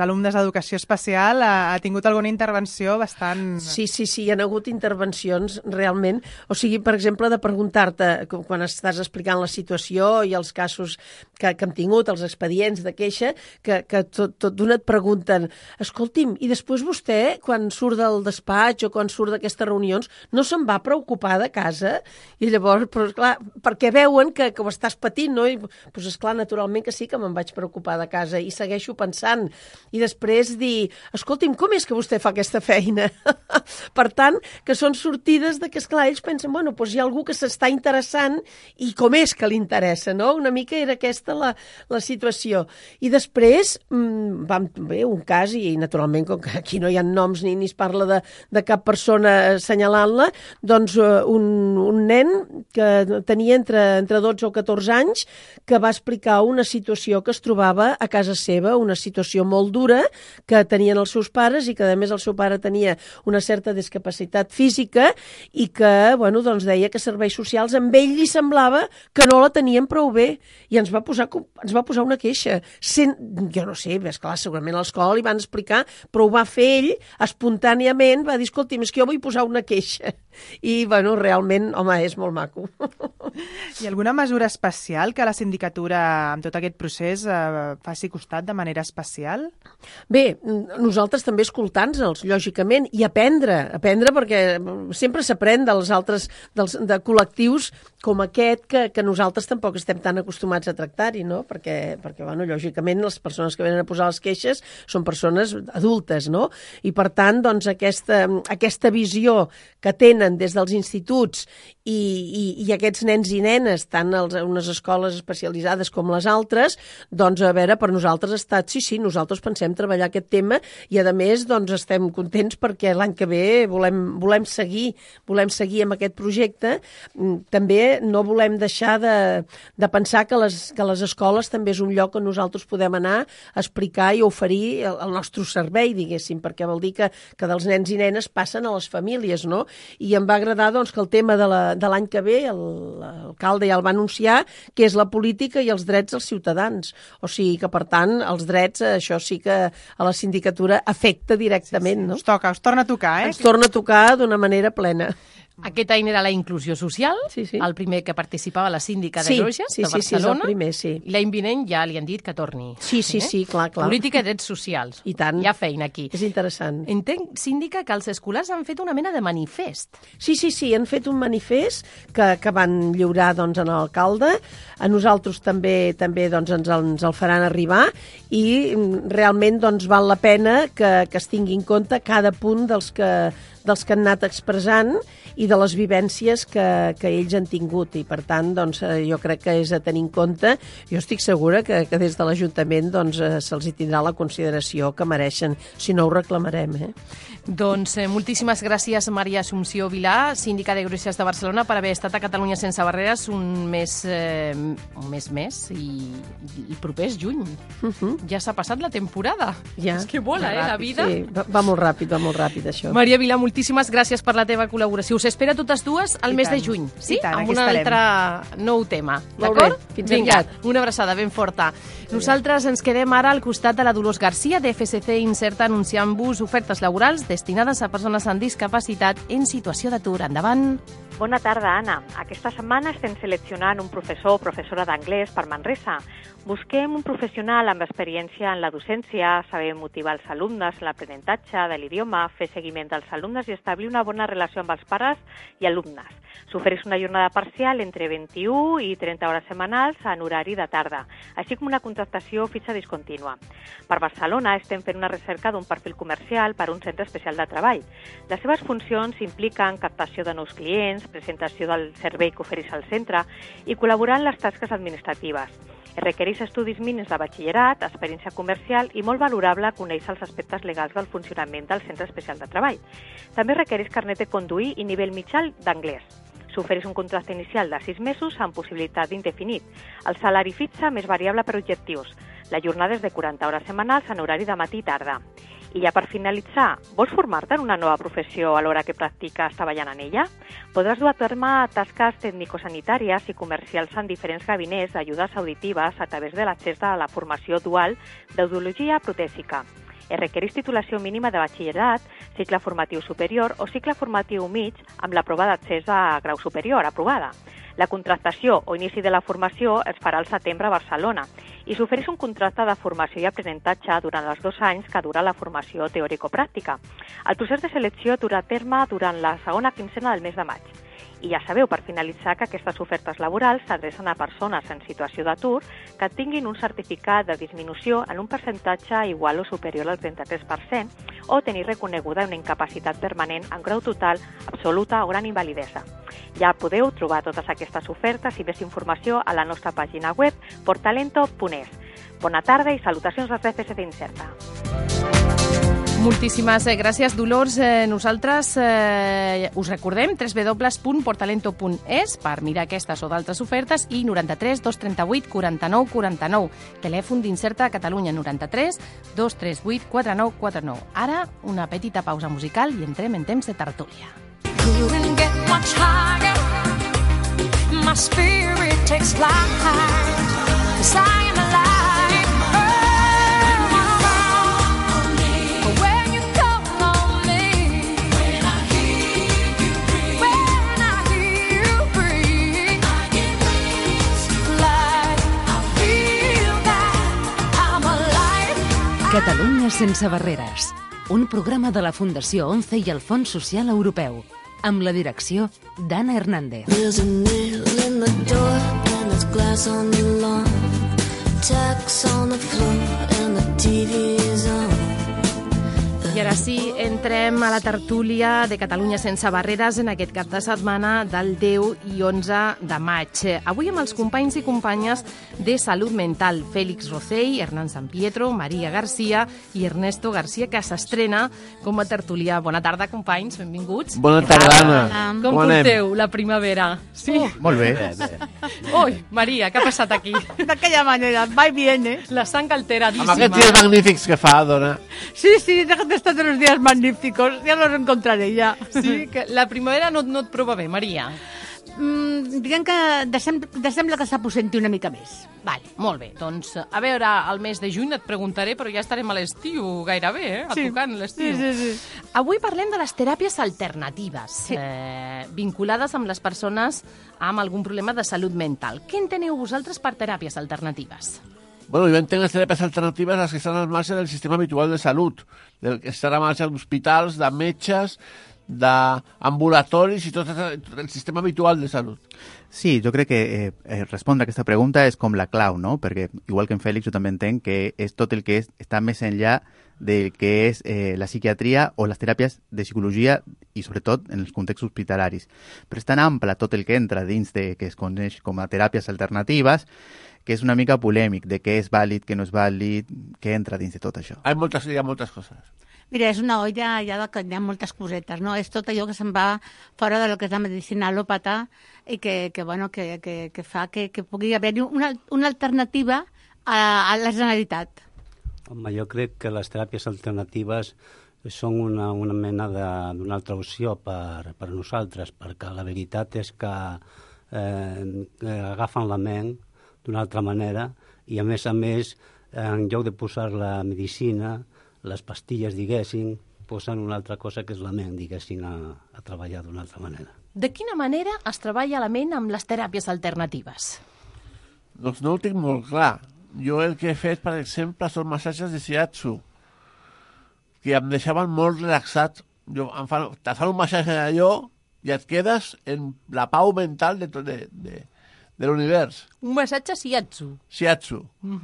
alumnes d'Educació Especial ha tingut alguna intervenció bastant... Sí, hi ha hagut intervencions realment. O sigui, per exemple, de preguntar-te, quan estàs explicant la situació i els casos que hem tingut, els expedients de queixa, que tot d'una et pregunten, escolti'm, i després vostè, quan surt del despatx o quan surt d'aquestes reunions, no se'n va preocupar de casa? I llavors, però esclar, perquè veuen que ho estàs patint, no? I doncs esclar, naturalment que sí que me'n vaig preocupar de casa i segueixo pensant. I després dir, escolti'm, com és que vostè fa aquesta feina? Per tant, que són sortides de que, esclar, ells pensen, bueno, doncs hi ha algú que s'està interessant i com és que li interessa, no? Una mica era aquesta la situació. I després vam fer un cas, i naturalment, com que aquí no hi ha noms ni es parla de cap persona assenyalant-la, doncs un un nen que tenia entre 12 o 14 anys que va explicar una situació que es trobava a casa seva, una situació molt dura que tenien els seus pares i que a més el seu pare tenia una certa discapacitat física i que, bueno, doncs deia que serveis socials amb ell li semblava que no la tenien prou bé i ens va posar una queixa. Jo no sé, esclar, segurament a l'escola li van explicar, però ho va fer ell espontàniament, va dir, escolti'm, és que jo vull posar una queixa. I, bueno, realment, home, és molt maco. Hi ha alguna mesura especial que la sindicatura, amb tot aquest procés, faci costat de manera especial? Bé, nosaltres també escoltant-nos, lògicament, i aprendre perquè sempre s'aprèn dels altres, de col·lectius com aquest, que nosaltres tampoc estem tan acostumats a tractar-hi, no? Perquè bueno, lògicament, les persones que venen a posar les queixes són persones adultes, no? I, per tant, doncs, aquesta visió que tenen des dels instituts i aquests nens i nenes, tant a unes escoles especialitzades com les altres, doncs, a veure, per nosaltres ha estat, sí, nosaltres pensem treballar aquest tema i, a més, doncs, estem contents perquè l'any que ve volem seguir amb aquest projecte. També no volem deixar de pensar que les escoles també és un lloc on nosaltres podem anar a explicar i oferir el nostre servei, diguéssim, perquè vol dir que dels nens i nenes passen a les famílies, no? I em va agradar, doncs, que el tema de l'any que ve, l'alcalde ja el va anunciar, que és la política i els drets dels ciutadans. O sigui que, per tant, els drets, això sí que a la sindicatura afecta directament, no? Us torna a tocar, eh? Ens torna a tocar d'una manera plena. Aquest any era la inclusió social, sí. El primer que participava la síndica de Greuges, de Barcelona. Sí, és el primer, sí. I l'any vinent ja li han dit que torni. Sí, clar. Política i drets socials. I tant. Hi ha feina aquí. És interessant. Entenc, síndica, que els escolars han fet una mena de manifest. Sí, han fet un manifest que van lliurar, doncs, a l'alcalde. A nosaltres també doncs, ens el faran arribar i realment, doncs, val la pena que es tingui en compte cada punt dels que han anat expressant i de les vivències que ells han tingut i, per tant, doncs, jo crec que és a tenir en compte. Jo estic segura que des de l'Ajuntament doncs, se'ls hi tindrà la consideració que mereixen, si no ho reclamarem. Doncs moltíssimes gràcies, Maria Assumpció Vilà, síndica de Greuges de Barcelona, per haver estat a Catalunya sense barreres un mes més i proper és juny. Ja s'ha passat la temporada. Ja. És que vola, la vida. Sí, va molt ràpid, això. Maria Vilà, moltíssimes gràcies per la teva col·laboració. Us espera totes dues al mes de juny, sí? Amb un altre nou tema, d'acord? Fins aviat. Una abraçada ben forta. Nosaltres ens quedem ara al costat de la Dolors Garcia, de FSC Inserta, anunciant-vos ofertes laborals destinades a persones amb discapacitat en situació d'atur. Endavant. Bona tarda, Anna. Aquesta setmana estem seleccionant un professor o professora d'anglès per Manresa. Busquem un professional amb experiència en la docència, saber motivar els alumnes en l'aprenentatge de l'idioma, fer seguiment dels alumnes i establir una bona relació amb els pares i alumnes. S'ofereix una jornada parcial entre 21 i 30 hores setmanals en horari de tarda, així com una contractació fitxa discontínua. Per Barcelona estem fent una recerca d'un perfil comercial per a un centre especial de treball. Les seves funcions impliquen captació de nous clients, presentació del servei que ofereix el centre i col·laborar en les tasques administratives. Es requereix estudis mínims de batxillerat, experiència comercial i molt valorable conèixer els aspectes legals del funcionament del centre especial de treball. També requereix carnet de conduir i nivell mitjà d'anglès. S'ofereix un contracte inicial de 6 mesos amb possibilitat d'indefinit. El salari fixa més variable per objectius. La jornada és de 40 hores setmanals en horari de matí i tarda. I ja per finalitzar, vols formar-te en una nova professió a l'hora que practiques treballant en ella? Podràs dur a terme tasques tècnico-sanitàries i comercials en diferents gabinets d'ajudes auditives a través de l'accés a la formació dual d'audiologia protèsica. Es requereix titulació mínima de batxillerat, cicle formatiu superior o cicle formatiu mig amb la prova d'accés a grau superior aprovada. La contractació o inici de la formació es farà al setembre a Barcelona i s'ofereix un contracte de formació i aprenentatge durant els 2 anys que dura la formació teòrico-pràctica. El procés de selecció durà a terme durant la segona quinzena del mes de maig. I ja sabeu, per finalitzar, que aquestes ofertes laborals s'adrecen a persones en situació d'atur que tinguin un certificat de disminució en un percentatge igual o superior al 33% o tenir reconeguda una incapacitat permanent en grau total, absoluta o gran invalidesa. Ja podeu trobar totes aquestes ofertes i més informació a la nostra pàgina web portalento.es. Bona tarda i salutacions dels FSC Inserta. Moltíssimes gràcies, Dolors. Nosaltres us recordem www.portalento.es per mirar aquestes o d'altres ofertes i 93 238 49 49. Telèfon d'Incerta a Catalunya, 93 238 49 49. Ara, una petita pausa musical i entrem en temps de tertúlia. Couldn't get much higher. My spirit takes flight. 'Cause I am alive. Catalunya sense barreres, un programa de la Fundació ONCE i el Fons Social Europeu, amb la direcció d'Anna Hernández. There's a nail in the door and there's glass on the lawn. Tacks on the floor and the TV is on. I ara sí, entrem a la tertúlia de Catalunya sense barreres en aquest cap de setmana del 10 i 11 de maig. Avui amb els companys i companyes de Salut Mental, Félix Rocell, Hernán San Pietro, Maria Garcia i Ernesto Garcia, que s'estrena com a tertúlia. Bona tarda, companys, benvinguts. Bona tarda, Anna. Com porteu la primavera? Sí? Molt bé. Ui, Maria, què ha passat aquí? D'aquella manera, va y viene. La sang alteradíssima. Amb aquests dies magnífics que fa, dona. Sí, déjate estar de los días magníficos, ya los encontraré ya. Sí, que la primavera no et prova bé, Maria. Diguem que sembla que s'aposenti una mica més. Vale, molt bé. Doncs, a veure, al mes de juny et preguntaré, però ja estarem a l'estiu gairebé, a tocant l'estiu. Sí. Avui parlem de les teràpies alternatives, vinculades amb les persones amb algun problema de salut mental. Què enteneu vosaltres per teràpies alternatives? Bueno, jo entenc les teràpies alternatives les que estan al marge del sistema habitual de salut, del que estan al marge d'hospitals, de metges, d'ambulatoris i tot el sistema habitual de salut. Sí, jo crec que respondre a aquesta pregunta és com la clau, no? Perquè, igual que en Fèlix, jo també entenc que és tot el que està més enllà del que és la psiquiatria o les teràpies de psicologia i, sobretot, en els contextos hospitalaris. Però és tan ample tot el que entra dins de que es coneix com a teràpies alternatives que és una mica polèmic de què és vàlid, què no és vàlid, què entra dins de tot això. Hi ha moltes coses. Mira, és una olla ja que hi ha moltes cosetes, no? És tot allò que se'n va fora del que és la medicina al·lòpata i que fa que pugui haver-hi una alternativa a la Generalitat. Home, jo crec que les teràpies alternatives són una mena d'una altra opció per nosaltres, perquè la veritat és que agafen la ment d'una altra manera i, a més, en lloc de posar la medicina, les pastilles, diguéssim, posen una altra cosa que és la ment, diguéssim, a treballar d'una altra manera. De quina manera es treballa la ment amb les teràpies alternatives? Doncs no ho tinc molt clar. Jo el que he fet, per exemple, són massatges de shiatsu, que em deixaven molt relaxat. Te fan un massatge d'allò i et quedes en la pau mental de l'univers. Un massatge shiatsu. Shiatsu. O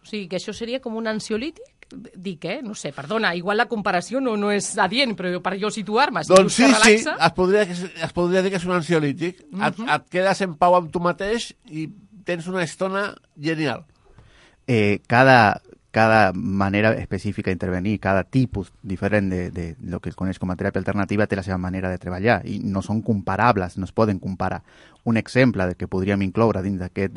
sigui, que això seria com un ansiolític? Dic, no sé, perdona, igual la comparació no és adient, però per jo situar-me, si doncs dius que relaxa... es podria dir que és un ansiolític. Et quedes en pau amb tu mateix i tens una estona genial. Cada manera específica d'intervenir, cada tipus diferent de lo que es coneix com a teràpia alternativa té la seva manera de treballar i no són comparables, no es poden comparar. Un exemple que podríem incloure dins d'aquest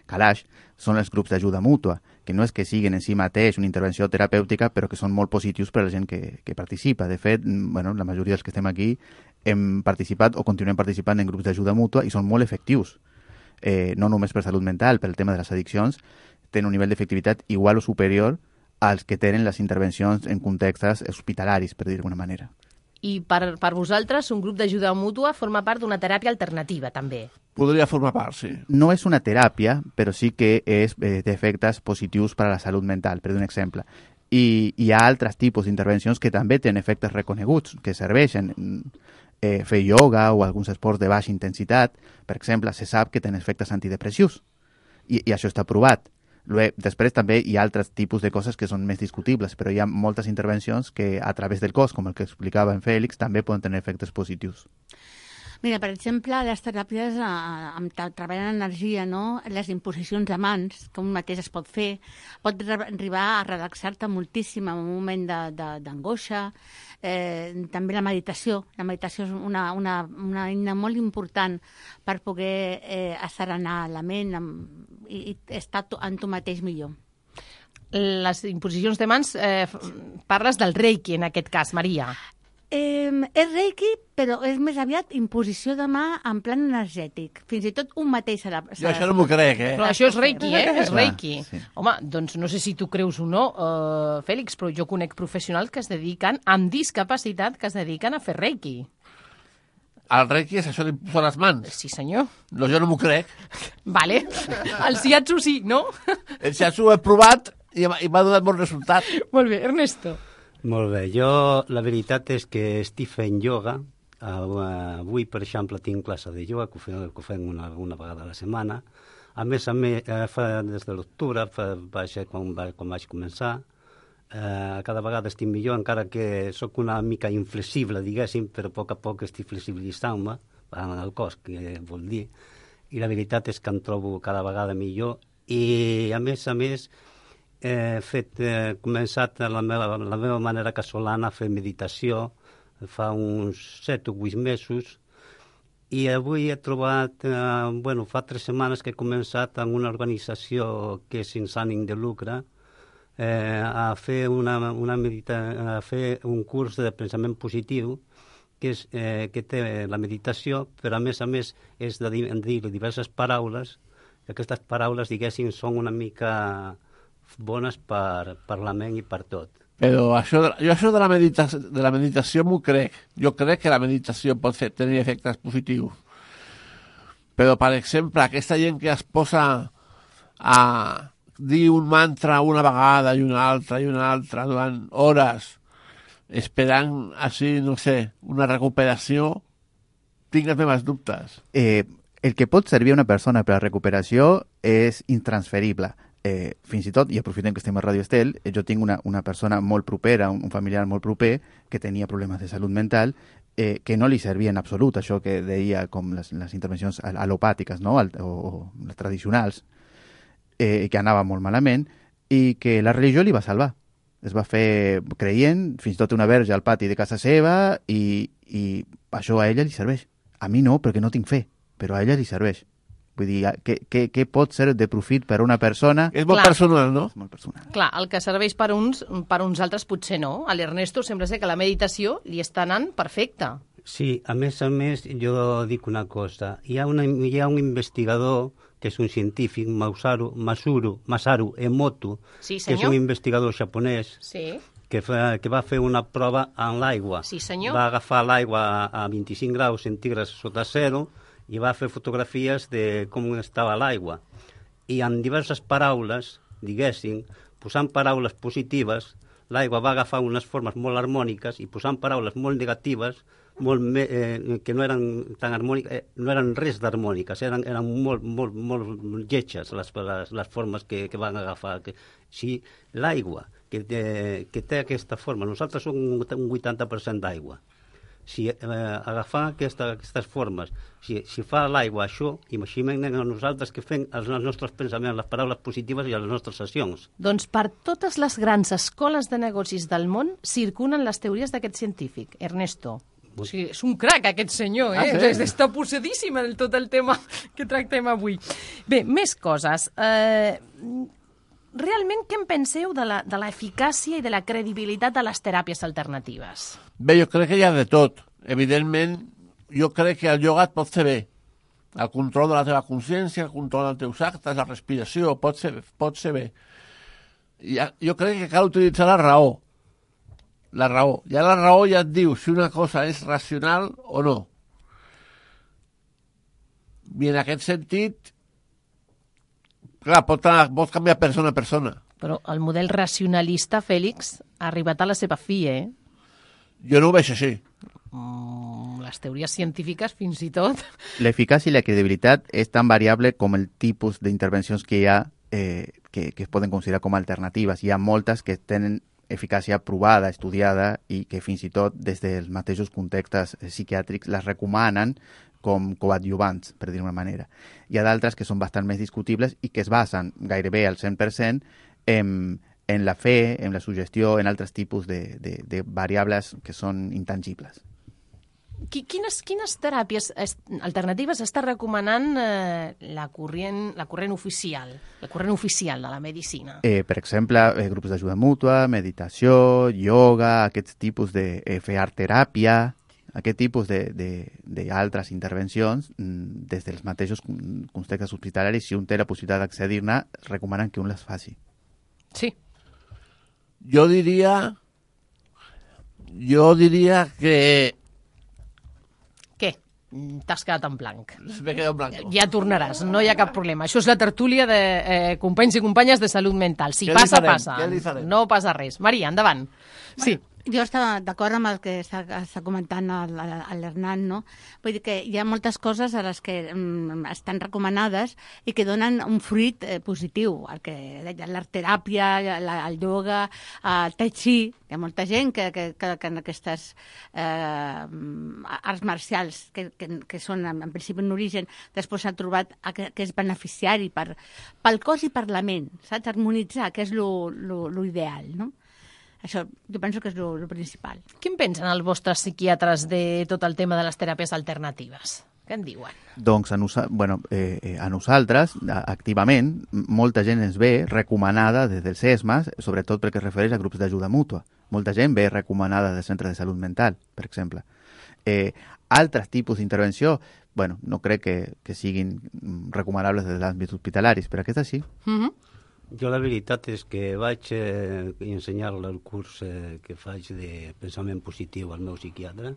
calaix són els grups d'ajuda mútua, que no és que siguin en si mateix una intervenció terapèutica, però que són molt positius per a la gent que participa. De fet, la majoria dels que estem aquí hem participat o continuem participant en grups d'ajuda mútua i són molt efectius. No només per salut mental, per el tema de les addiccions, tenen un nivell d'efectivitat igual o superior als que tenen les intervencions en contextes hospitalaris, per dir d'alguna manera. I per vosaltres un grup d'ajuda mútua forma part d'una teràpia alternativa, també? Podria formar part, sí. No és una teràpia, però sí que té efectes positius per a la salut mental, per dir un exemple. I hi ha altres tipus d'intervencions que també tenen efectes reconeguts, que serveixen. Fer ioga o alguns esports de baixa intensitat, per exemple, se sap que tenen efectes antidepressius. I això està provat. Després també hi ha altres tipus de coses que són més discutibles, però hi ha moltes intervencions que a través del cos, com el que explicava en Fèlix, també poden tenir efectes positius. Mira, per exemple, les teràpies treballen energia, no? Les imposicions de mans, que un mateix es pot fer, pot arribar a relaxar-te moltíssim en un moment d'angoixa. També la meditació. La meditació és una eina molt important per poder asserenar la ment i estar en tu mateix millor. Les imposicions de mans, parles del reiki en aquest cas, Maria. És reiki, però és més aviat imposició de mà en plan energètic. Fins i tot un mateix serà... Jo això no m'ho crec, Però això és reiki, És Clar, reiki. sí. Home, doncs no sé si tu creus o no, Fèlix, però jo conec professionals que es dediquen, amb discapacitat, que es dediquen a fer reiki. El reiki és això d'imposar les mans? Sí, senyor. No, jo no m'ho crec. Vale. El shiatsu sí, no? El shiatsu ho he provat i m'ha donat bon resultat. Molt bé, Ernesto. Molt bé, jo la veritat és que estic fent ioga. Avui, per exemple, tinc classe de ioga, que ho fem una vegada a la setmana. A més, des de l'octubre, quan vaig començar, cada vegada estic millor, encara que sóc una mica inflexible, diguéssim, però a poc estic flexibilitzant-me en el cos, que vol dir. I la veritat és que em trobo cada vegada millor. I, a més, he començat la meva manera casolana a fer meditació fa uns 7 o 8 mesos i avui he trobat, fa 3 setmanes que he començat en una organització que és sense ànim de lucre a fer a fer un curs de pensament positiu que té la meditació, però a més és de dir diverses paraules, que aquestes paraules, diguéssim, són una mica bones per la ment i per tot. Però això de la meditació m'ho crec. Jo crec que la meditació pot tenir efectes positius. Però, per exemple, aquesta gent que es posa a dir un mantra una vegada i una altra durant hores, esperant així, no sé, una recuperació, tinc els meus dubtes. El que pot servir a una persona per a recuperació és intransferible. Fins i tot, i aprofitem que estem a Radio Estel, jo tinc una persona molt propera, un familiar molt proper, que tenia problemes de salut mental, que no li servia en absolut això que deia com les intervencions alopàtiques, no? o les tradicionals, que anava molt malament, i que la religió li va salvar. Es va fer creient, fins i tot una verge al pati de casa seva, i això a ella li serveix. A mi no, perquè no tinc fe, però a ella li serveix. Vull dir, què pot ser de profit per a una persona? És molt personal, no? És molt personal. Clar, el que serveix per uns altres potser no. A l'Ernesto sembla ser que la meditació li està anant perfecta. Sí, a més, jo dic una cosa. Hi ha un investigador que és un científic, Masaru Emoto, sí, que és un investigador japonès, sí, que va fer una prova en l'aigua. Sí, senyor. Va agafar l'aigua a 25 graus centígrads sota zero i va fer fotografies de com estava l'aigua. I amb diverses paraules, diguéssim, posant paraules positives, l'aigua va agafar unes formes molt harmòniques i posant paraules molt negatives, que no eren tan harmòniques, no eren res d'harmòniques, eren molt lletges les formes que van agafar. Si l'aigua que té aquesta forma, nosaltres som un 80% d'aigua, si agafar aquestes formes, si fa l'aigua això, imaginem a nosaltres que fem els nostres pensaments, les paraules positives i les nostres sessions. Doncs per totes les grans escoles de negocis del món circulen les teories d'aquest científic, Ernesto. O sigui, és un crac, aquest senyor, eh? Sí. Està possedíssim en tot el tema que tractem avui. Bé, més coses. Realment, què en penseu de l'eficàcia i de la credibilitat de les teràpies alternatives? Bé, jo crec que hi ha de tot. Evidentment, jo crec que el ioga et pot fer bé. El control de la teva consciència, el control dels teus actes, la respiració, pot ser bé. Jo crec que cal utilitzar la raó. La raó. Ja la raó ja et diu si una cosa és racional o no. I en aquest sentit, clar, pots canviar persona a persona. Però el model racionalista, Fèlix, ha arribat a la seva fi, eh? Jo no ho veig així. Les teories científiques, fins i tot. L'eficàcia i la credibilitat és tan variable com el tipus d'intervencions que hi ha que es poden considerar com alternatives. Hi ha moltes que tenen eficàcia provada, estudiada, i que fins i tot des dels mateixos contextes psiquiàtrics les recomanen com coadjuvants, per dir-ho d'una manera. Hi ha d'altres que són bastant més discutibles i que es basen gairebé al 100% en la fe, en la suggestió, en altres tipus de variables que són intangibles. Quines teràpies alternatives està recomanant la corrent oficial de la medicina? Per exemple, grups d'ajuda mútua, meditació, ioga, aquests tipus de fer art-teràpia, aquest tipus d'altres intervencions, des dels mateixos contextes hospitalaris, si un té la possibilitat d'accedir-ne, recomanen que un les faci. Sí. Jo diria que... Què? T'has quedat en blanc. M'he quedat en blanc. Ja tornaràs, no hi ha cap problema. Això és la tertúlia de companys i companyes de salut mental. Si Què passa, li farem? passa. Què li farem? No passa res. Maria, endavant. Sí. Jo estava d'acord amb el que està comentant l'Hernán, no? Vull dir que hi ha moltes coses a les que estan recomanades i que donen un fruit positiu. El que deia, l'art-teràpia, el ioga, el tai chi. Hi ha molta gent que en aquestes arts marcials que són en principi en origen, després s'ha trobat que és beneficiari pel cos i per la ment, saps? Harmonitzar, que és lo ideal, no? Això jo penso que és el principal. Què en pensen els vostres psiquiatres de tot el tema de les teràpies alternatives? Què en diuen? Doncs a nosaltres, activament, molta gent ens ve recomanada des dels CESMAS, sobretot perquè es refereix a grups d'ajuda mútua. Molta gent ve recomanada del centre de salut mental, per exemple. Altres tipus d'intervenció, no crec que siguin recomanables des de l'àmbit hospitalaris, però aquesta sí. Jo la veritat és que vaig ensenyar-li el curs que faig de pensament positiu al meu psiquiatre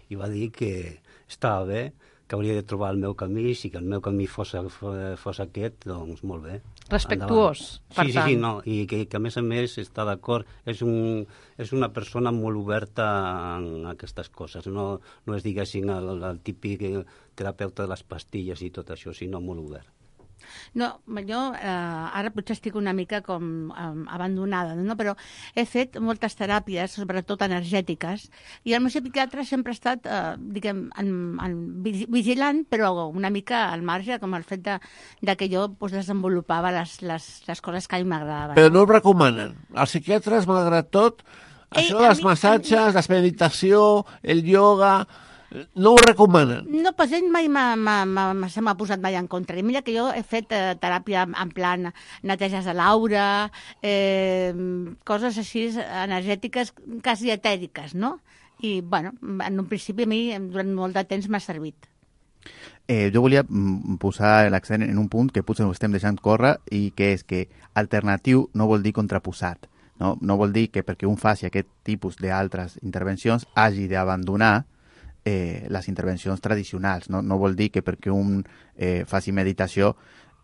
i va dir que estava bé, que hauria de trobar el meu camí, si que el meu camí fos aquest, doncs molt bé. Respectuós, per tant. Sí, no, i que a més està d'acord. És una persona molt oberta en aquestes coses. No és, diguéssim, el típic terapeuta de les pastilles i tot això, sinó molt obert. No, jo ara potser estic una mica com abandonada, no? Però he fet moltes teràpies, sobretot energètiques, i el meu psiquiatre sempre ha estat, vigilant, però una mica al marge, com el fet de que jo desenvolupava les coses que a mi m'agradaven. Però no ho recomanen. Els psiquiatres, malgrat tot, això dels massatges, la meditació, el ioga... No ho recomanen. No, pues ell mai se m'ha posat mai en contra. I mira que jo he fet teràpia en plan neteges de l'aura, coses així energètiques, quasi etèriques, no? I, en un principi a mi durant molt de temps m'ha servit. Jo volia posar l'accent en un punt que potser ho estem deixant córrer i que és que alternatiu no vol dir contraposat. No vol dir que perquè un faci aquest tipus d'altres intervencions hagi d'abandonar les intervencions tradicionals. No vol dir que perquè un faci meditació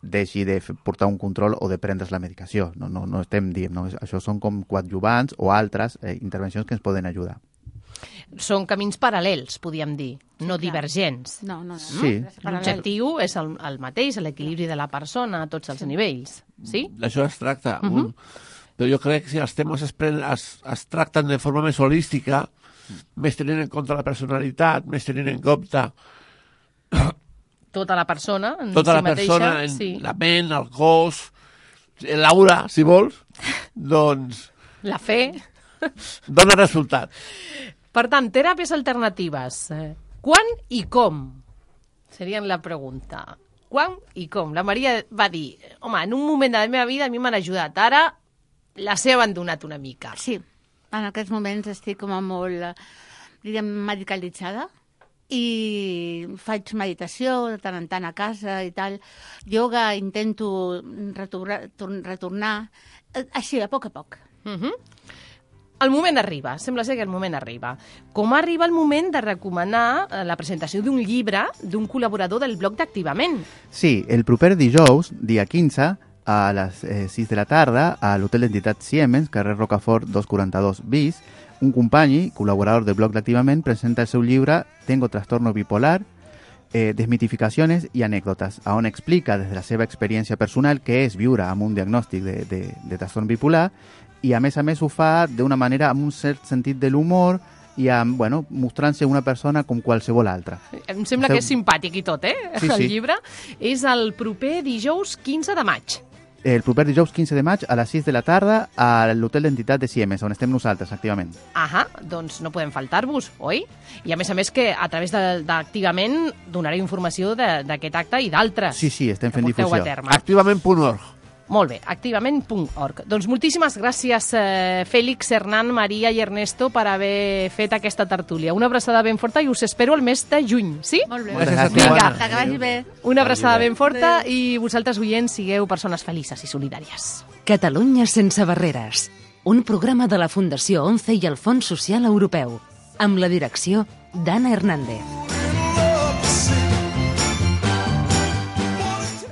deixi de portar un control o de prendre's la medicació. No estem dient. No? Això són com coadjuvants o altres intervencions que ens poden ajudar. Són camins paral·lels, podríem dir, no divergents. No. Sí. L'objectiu és el mateix, l'equilibri de la persona a tots els nivells. Sí? D'això es tracta. Però jo crec que si els temes es tracten de forma més holística, més tenint en compte la personalitat, més tenint en compte tota la persona en tota si la persona, mateixa, sí. La ment, el cos, l'aura, si vols, doncs... La fe. Dona resultat. Per tant, teràpies alternatives. Quan i com? Serien la pregunta. Quan i com? La Maria va dir, home, en un moment de la meva vida a mi m'han ajudat. Ara les he abandonat una mica. Sí. En aquests moments estic com a molt, medicalitzada i faig meditació de tant en tant a casa i tal. Ioga intento retornar, així, a poc a poc. El moment arriba, sembla ser que el moment arriba. Com arriba el moment de recomanar la presentació d'un llibre d'un col·laborador del blog d'Activament? Sí, el proper dijous, dia 15, a les 6 de la tarda a l'Hotel d'Entitat Siemens, carrer Rocafort 242 bis, un company, col·laborador del blog d'Activament, presenta el seu llibre Tengo trastorno bipolar, desmitificaciones i anècdotes, on explica des de la seva experiència personal què és viure amb un diagnòstic de trastorn bipolar i a més ho fa d'una manera amb un cert sentit de l'humor i amb, bueno, mostrant-se una persona com qualsevol altra. Em sembla que és simpàtic i tot, Sí, el sí. llibre. És el proper dijous 15 de maig. El proper dijous 15 de maig a les 6 de la tarda a l'Hotel d'Entitat de Siemens, on estem nosaltres, activament. Ahà, doncs no podem faltar-vos, oi? I a més que a través d'Activament donareu informació d'aquest acte i d'altres. Sí, estem fent porteu difusió. a terme. Activament.org. Molt bé, activament.org. Doncs moltíssimes gràcies, Fèlix, Hernán, Maria i Ernesto, per haver fet aquesta tertúlia. Una abraçada ben forta i us espero el mes de juny, sí? Molt bé. Gràcies a tu, Vinga. Anna. Que vagi bé. Una abraçada ben forta i vosaltres, oients, sigueu persones felices i solidàries. Catalunya sense barreres. Un programa de la Fundació 11 i el Fons Social Europeu. Amb la direcció d'Anna Hernández.